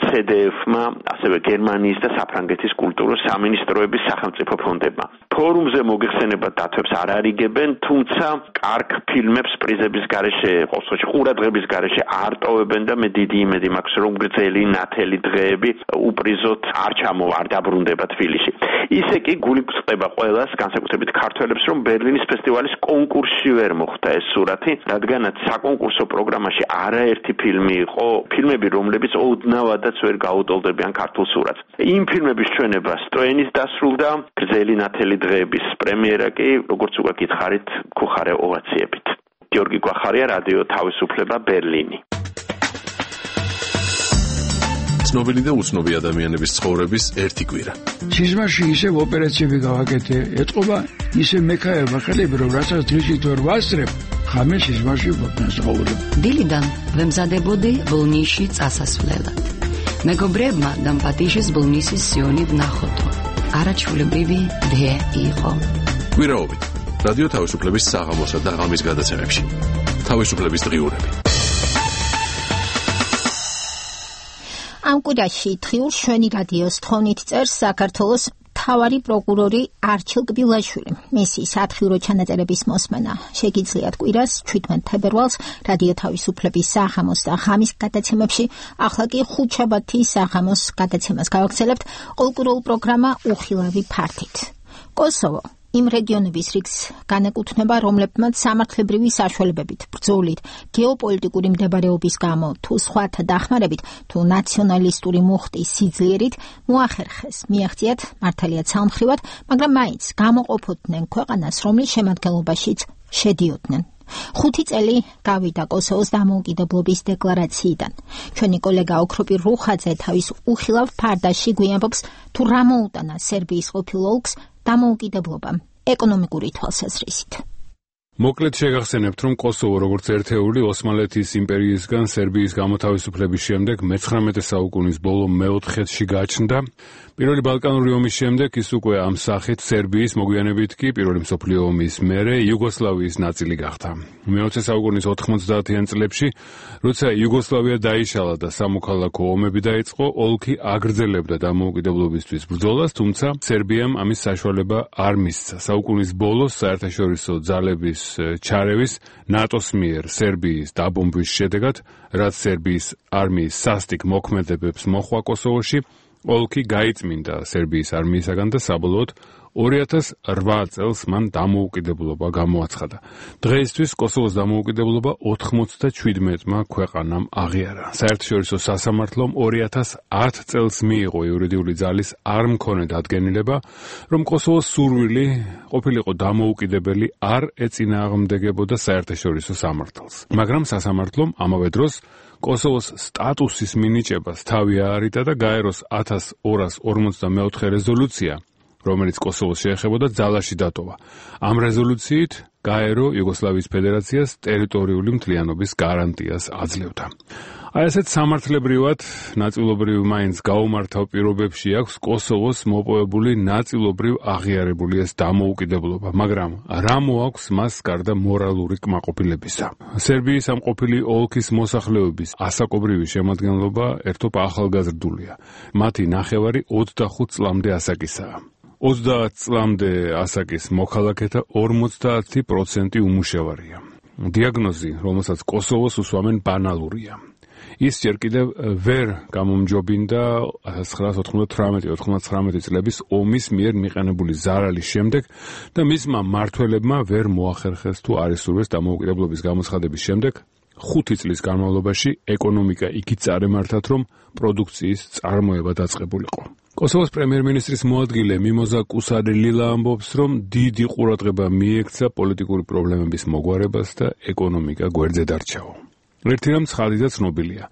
CDF-მა, ასევე გერმანიის და საფრანგეთის კულტურის სამინისტროების სახელმწიფო ფონდებმა. ფორუმზე მოგეხსენება დათვებს არ არიგებენ, თუმცა კარგ ფილმებს პრიზების გარეშე, ყოველთვის ყურადღების გარეშე არ ტოვებენ და მე დიდი იმედი მაქვს რომ გრძელი ნათელი დღეები უპრიზოდ არ დაბრუნდება თბილისში. ისე კი გული გწყდება ყველას, განსაკუთრებით ქართველებს, რომ ბერლინის ფესტივალის კონკურსში ვერ მოხვდა ეს სურათი, რადგანაც საკონკურსო პროგრამაში არაერთი ფილმი იყო, ფილმები რომლებიც ოდნავადაც ვერ გაუტოლდებიან ქართულ სურათს. იმ ფილმების ჩვენება სტროენის დასრულდა, გრძელი ნათელი დღეების პრემიერა კი, როგორც უკვე გითხარით, გუხარე ოვაციებით. გიორგი გვახარია, რადიო თავისუფლება, ბერლინი. ცნობილი და უცნობი ადამიანების ცხოვრების ერთი კვირა. სიზმარში ისევ ოპერაციები გავაკეთე, ეთყობა ისე მექაება ხელები, რომ რასაც დღისით ვერ ვასწრებ, ხამე სიზმარში ვფასაურებ. დილიდან ვემზადებოდი ბოლნისში წასასვლელად. მეგობრებმა დამპატიშეს ბოლნისის სიონი ვნახოთო. არაჩვეულებრივი დე იყო. კვირაობით რადიო თავისუფლების საღამოსა და ღამის გადაცემებში. თავისუფლების დღიურები. ამ კვირაში დღიურ შვენი რადიოს თხოვნით წერს საქართველოს მთავარი პროკურორი არჩილ კბილაშვილი. მისი სათხიურო ჩანაწერების მოსმენა შეგიძლიათ კვირას 17 თებერვალს რადიო თავისუფლების საღამოს და ღამის გადაცემებში. ახლა კი ხუთშაბათის საღამოს გადაცემას გავაგრძელებთ ყოველკვირეულ პროგრამა უხილავი ფართით. კოსოვო იმ რეგიონების რიგს განეკუთვნება, რომლებმაც სამართლებრივი საშუალებებით, ბრძოლით, გეოპოლიტიკური მდებარეობის გამო, თუ სხვათა დახმარებით, თუ ნაციონალისტური მუხტის სიძლიერით მოახერხეს მიაღწიათ მართალია ცალმხრივად, მაგრამ მაინც გამოყოფოდნენ ქვეყანას, რომლის შემადგენლობაშიც შედიოდნენ. 5 წელი გავიდა კოსოვოს დამოუკიდებლობის დეკლარაციიდან. ჩვენი კოლეგა ოქროპი რუხაძე თავის უხილავ ფარდაში გვიანობს თუ რა მოუტანა სერბიის ყოფილ ოლქს დამოუკიდებლობა ეკონომიკური თვალსაზრისით. მოკლედ შეგახსენებთ, რომ კოსოვო როგორც ერთეული ოსმალეთის იმპერიისგან სერბიის გამოთავისუფლების შემდეგ მე-19 საუკუნის ბოლო მე-4-ში გაჩნდა. პირველი ბალკანური ომის შემდეგ ის უკვე ამ სახით სერბიის მოგვიანებით კი პირველი მსოფლიო ომის მერე იუგოსლავიის ნაწილი გახდა. მე-20 საუკუნის 90-იან წლებში, როცა იუგოსლავია დაიშალა და სამოქალაქო ომები დაიწყო, ოლქი აგრძელებდა დამოუკიდებლობისთვის ბრძოლას, თუმცა სერბიამ ამის საშუალება არ მისცა. საუკუნის ბოლოს საერთაშორისო ძალების ჩარევის ნატოს მიერ სერბიის დაბომბვის შედეგად, რაც სერბიის არმიის სასტიკ მოქმედებებს მოჰყვა კოსოვოში, ოლქი გაიწმინდა სერბიის არმიისაგან და საბოლოოდ 2008 წელს მან დამოუკიდებლობა გამოაცხადა. დღეისთვის კოსოვოს დამოუკიდებლობა 97-მა ქვეყანამ აღიარა. საერთაშორისო სასამართლომ 2010 წელს მიიღო იურიდიული ძალის არ მქონე დადგენილება, რომ კოსოვოს სურვილი ყოფილიყო დამოუკიდებელი არ ეწინააღმდეგებოდა საერთაშორისო სამართალს. მაგრამ სასამართლომ ამავე დროს კოსოვოს სტატუსის მინიჭებას თავი აარიდა და გაეროს 1244 რეზოლუცია, რომელიც კოსოვოს შეეხებოდა, ძალაში დატოვა. ამ რეზოლუციით გაერო იუგოსლავიის ფედერაციას ტერიტორიული მთლიანობის გარანტიას აძლევდა. აი ასეთ სამართლებრივად ნაწილობრივ მაინც გაუმართავ პირობებში აქვს კოსოვოს მოპოვებული ნაწილობრივ აღიარებული ეს დამოუკიდებლობა, მაგრამ რა მოაქვს მას გარდა მორალური კმაყოფილებისა? სერბიის ამ ყოფილი ოლქის მოსახლეობის ასაკობრივი შემადგენლობა ერთობ ახალგაზრდულია. მათი ნახევარი 25 წლამდე ასაკისაა. 30 წლამდე ასაკის მოქალაქეთა 50% უმუშევარია. დიაგნოზი, რომელსაც კოსოვოს უსვამენ, ბანალურია. ის ჯერ კიდევ ვერ გამომჯობინდა 1998-99 წლების ომის მიერ მიყენებული ზარალის შემდეგ და მისმა მმართველებმა ვერ მოახერხეს თუ არ ისურვეს დამოუკიდებლობის გამოცხადების შემდეგ 5 წლის განმავლობაში ეკონომიკა იქით წარემართათ, რომ პროდუქციის წარმოება დაწყებულიყო. კოსოვოს პრემიერ-მინისტრის მოადგილე მიმოზა კუსარელილა ამბობს, რომ დიდი ყურადღება მიექცა პოლიტიკური პრობლემების მოგვარებას და ეკონომიკა გვერდზე დარჩაო. ერთი რამ ცხადი და ცნობილია.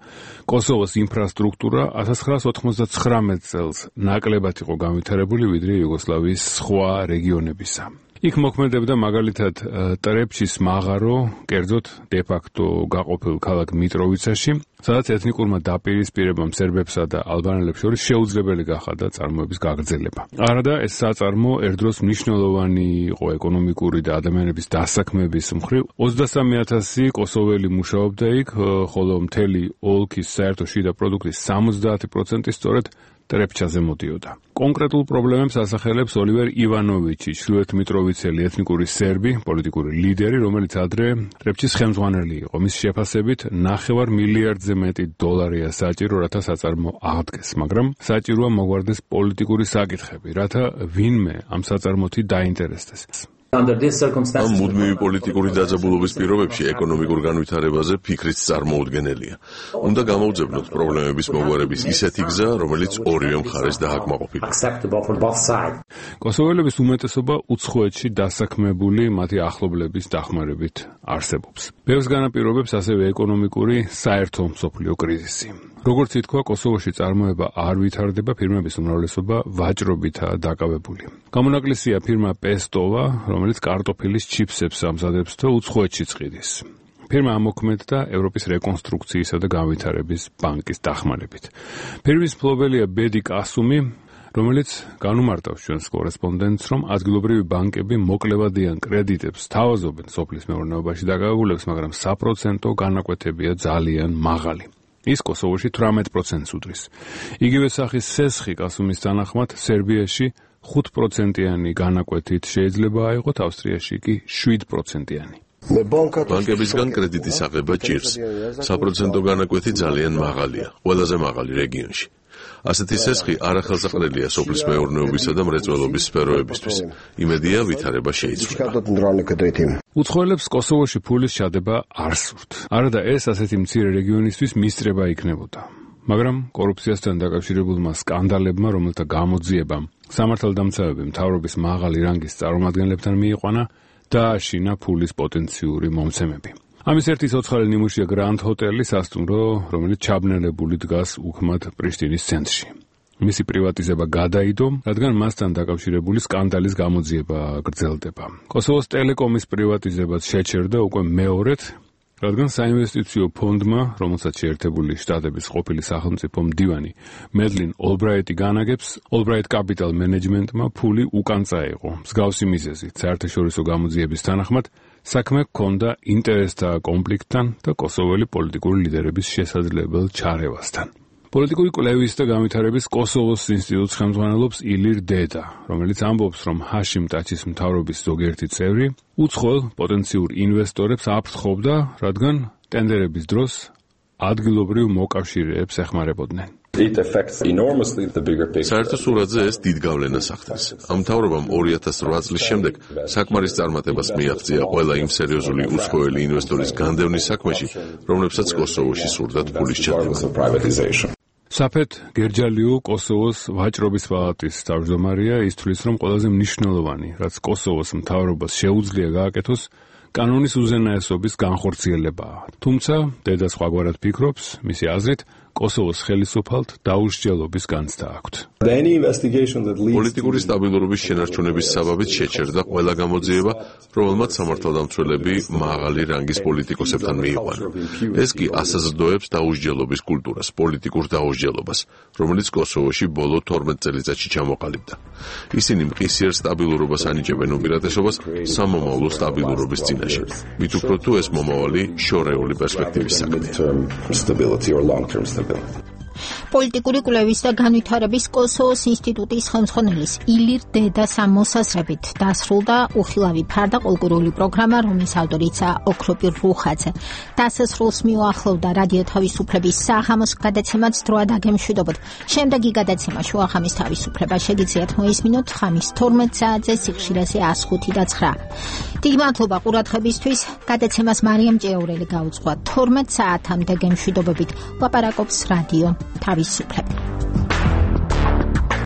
კოსოვოს ინფრასტრუქტურა 1999 წელს ნაკლებად იყო განვითარებული ვიდრე იუგოსლავიის სხვა რეგიონებისა. იქ მოქმედებდა მაგალითად ტრეფჩის მაღარო, კერძოდ დე-ფაქტო გაყოფილ ქალაქ მიტროვიცაში, სადაც ეთნიკურმა დაპირისპირებამ სერბებსა და ალბანელებს შორის შეუძლებელი გახადა წარმოების გაგრძელება. არადა ეს საწარმო ერთდროს მნიშვნელოვანი იყო ეკონომიკური და ადამიანების დასაქმების მხრივ. 23,000 კოსოველი მუშაობდა იქ, ხოლო მთელი ოლქის საერთო შიდა პროდუქტის 70% სწორედ ტრეფჩაზე მოდიოდა. კონკრეტულ პრობლემებს ასახელებს ოლივერ ივანოვიჩი, ჩრდილოეთ მიტროვიცელი ეთნიკური სერბი, პოლიტიკური ლიდერი, რომელიც ადრე ტრეფჩის ხელმძღვანელი იყო. მის შეფასებით 9 მილიარდზე მეტი დოლარია საჭირო, რათა საწარმო აღდგეს, მაგრამ საჭიროა მოგვარდეს პოლიტიკური საკითხები, რათა ვინმე ამ საწარმოთი დაინტერესდეს. ამ მუდმივი პოლიტიკური დაძაბულობის პირობებში ეკონომიკურ განვითარებაზე ფიქრიც წარმოუდგენელია. უნდა გამოვძებნოთ პრობლემების მოგვარების ისეთი გზა, რომელიც ორივე მხარეს დააკმაყოფილება. კოსოველების უმეტესობა უცხოეთში დასაქმებული მათი ახლობლების დახმარებით არსებობს. ბევრს განაპირობებს ასევე ეკონომიკური საერთო მსოფლიო კრიზისი. როგორც ითქვა, კოსოვოში წარმოება არ ვითარდება, ფირმების უმრავლესობა ვაჭრობითაა დაკავებული. გამონაკლისია ფირმა პესტოვა, რომელიც კარტოფილის ჩიფსებს ამზადებს და უცხოეთშიც ყიდის. ფირმა ამოქმედდა ევროპის რეკონსტრუქციისა და განვითარების ბანკის დახმარებით. ფირმის მფლობელია ბედი კასუმი, რომელიც განუმარტავს ჩვენს კორესპონდენტს, რომ ადგილობრივი ბანკები მოკლევადიან კრედიტებს თავაზობენ სოფლის მეურნეობაში დაკავებულებს, მაგრამ საპროცენტო განაკვეთებია ძალიან მაღალი. ის კოსოვოში 18%-ს უდრის. იგივე სახის სესხი კასუმის თანახმად სერბიაში 5%-იანი განაკვეთით შეიძლება აიღოთ, ავსტრიაში კი 7%-იანი. ბანკებისგან კრედიტის აღება ჭირს. საპროცენტო განაკვეთი ძალიან მაღალია, ყველაზე მაღალი რეგიონში. ასეთი სესხი არახელსაყრელია სოფლის მეურნეობისა და მრეწველობის სფეროებისთვის. იმედია ვითარება შეიცვლება. უცხოელებს კოსოვოში ფულის ჩადება არ სურთ. არადა ეს ასეთი მცირე რეგიონისთვის მისწრება იქნებოდა. მაგრამ კორუფციასთან დაკავშირებულმა სკანდალებმა, რომელთა გამოძიებამ სამართალდამცავები მთავრობის მაღალი რანგის წარმომადგენლებთან მიიყვანა, დააშინა ფულის პოტენციური მომცემები. ამის ერთი ცოცხალი ნიმუშია გრანდ ჰოტელი სასტუმრო, რომელიც ჩაბნელებული დგას უქმად პრიშტინის ცენტრში. მისი პრივატიზება გადაიდო, რადგან მასთან დაკავშირებული სკანდალის გამოძიება გრძელდება. კოსოვოს ტელეკომის პრივატიზებაც შეჩერდა უკვე მეორედ, რადგან საინვესტიციო ფონდმა, რომელსაც შეერთებული შტატების ყოფილი სახელმწიფო მდივანი მედლინ ოლბრაიტი განაგებს, ოლბრაიტ კაპიტალ მენეჯმენტმა ფული უკან წაიღო. მსგავსი მიზეზით საერთაშორისო გამოძიების თანახმად საქმე ჰქონდა ინტერესთა კონფლიქტთან და კოსოველი პოლიტიკური ლიდერების შესაძლებელ ჩარევასთან. პოლიტიკური კვლევის და განვითარების კოსოვოს ინსტიტუტს ხელმძღვანელობს ილირ დედა, რომელიც ამბობს, რომ ჰაშიმ ტაჩის მთავრობის ზოგიერთი წევრი უცხოელ პოტენციურ ინვესტორებს აფრთხობდა, რადგან ტენდერების დროს ადგილობრივ მოკავშირეებს ეხმარებოდნენ. საერთო სურათზე ეს დიდ გავლენას ახდენს. ამ მთავრობამ 2008 წლის შემდეგ საკმარის წარმატებას მიაღწია ყველა იმ სერიოზული უცხოელი ინვესტორის განდევნის საქმეში, რომლებსაც კოსოვოში სურდათ ფულის ჩადება. საფეთ გერჯალიუ კოსოვოს ვაჭრობის პალატის თავმჯდომარეა, ის თვლის, რომ ყველაზე მნიშვნელოვანი, რაც კოსოვოს მთავრობას შეუძლია გააკეთოს, კანონის უზენაესობის განხორციელებაა. თუმცა, დედა სხვაგვარად ფიქრობს, მისი აზრით, კოსოვოს ხელისუფალთ დაუსჯელობის განცდა აქვთ. პოლიტიკური სტაბილურობის შენარჩუნების საბაბით შეჩერდა ყველა გამოძიება, რომელმაც სამართალდამცველები მაღალი რანგის პოლიტიკოსებთან მიიყვანა. ეს კი ასაზრდოებს დაუსჯელობის კულტურას, პოლიტიკურ დაუსჯელობას, რომელიც კოსოვოში ბოლო 12 წელიწადში ჩამოყალიბდა. ისინი მყისიერ სტაბილურობას ანიჭებენ უპირატესობას სამომავლო სტაბილურობის წინაშე. მით უფრო თუ ეს მომავალი შორეული პერსპექტივის საქმეა. პოლიტიკური კვლევის და განვითარების კოსოვოს ინსტიტუტის ხელმძღვანელის ილირ დედას მოსაზრებით დასრულდა უხილავი ფარდა კულტურული პროგრამა, რომლის ავტორიცაა ოქროპირ რუხაძე. დასასრულს მიუახლოვდა რადიო თავისუფლების საღამოს გადაცემაც დროა დაგემშვიდობოთ. შემდეგი გადაცემა შუახამის თავისუფლება შეგიძლიათ მოისმინოთ ხამის 12 საათზე სიხშირეზე 105.9. დიდი მადლობა ყურადღებისთვის. გადაცემას მარიამ ჭეაურელი გაუძღვა 12 საათამდე გემშვიდობებით. ლაპარაკობს რადიო თავისუფლება.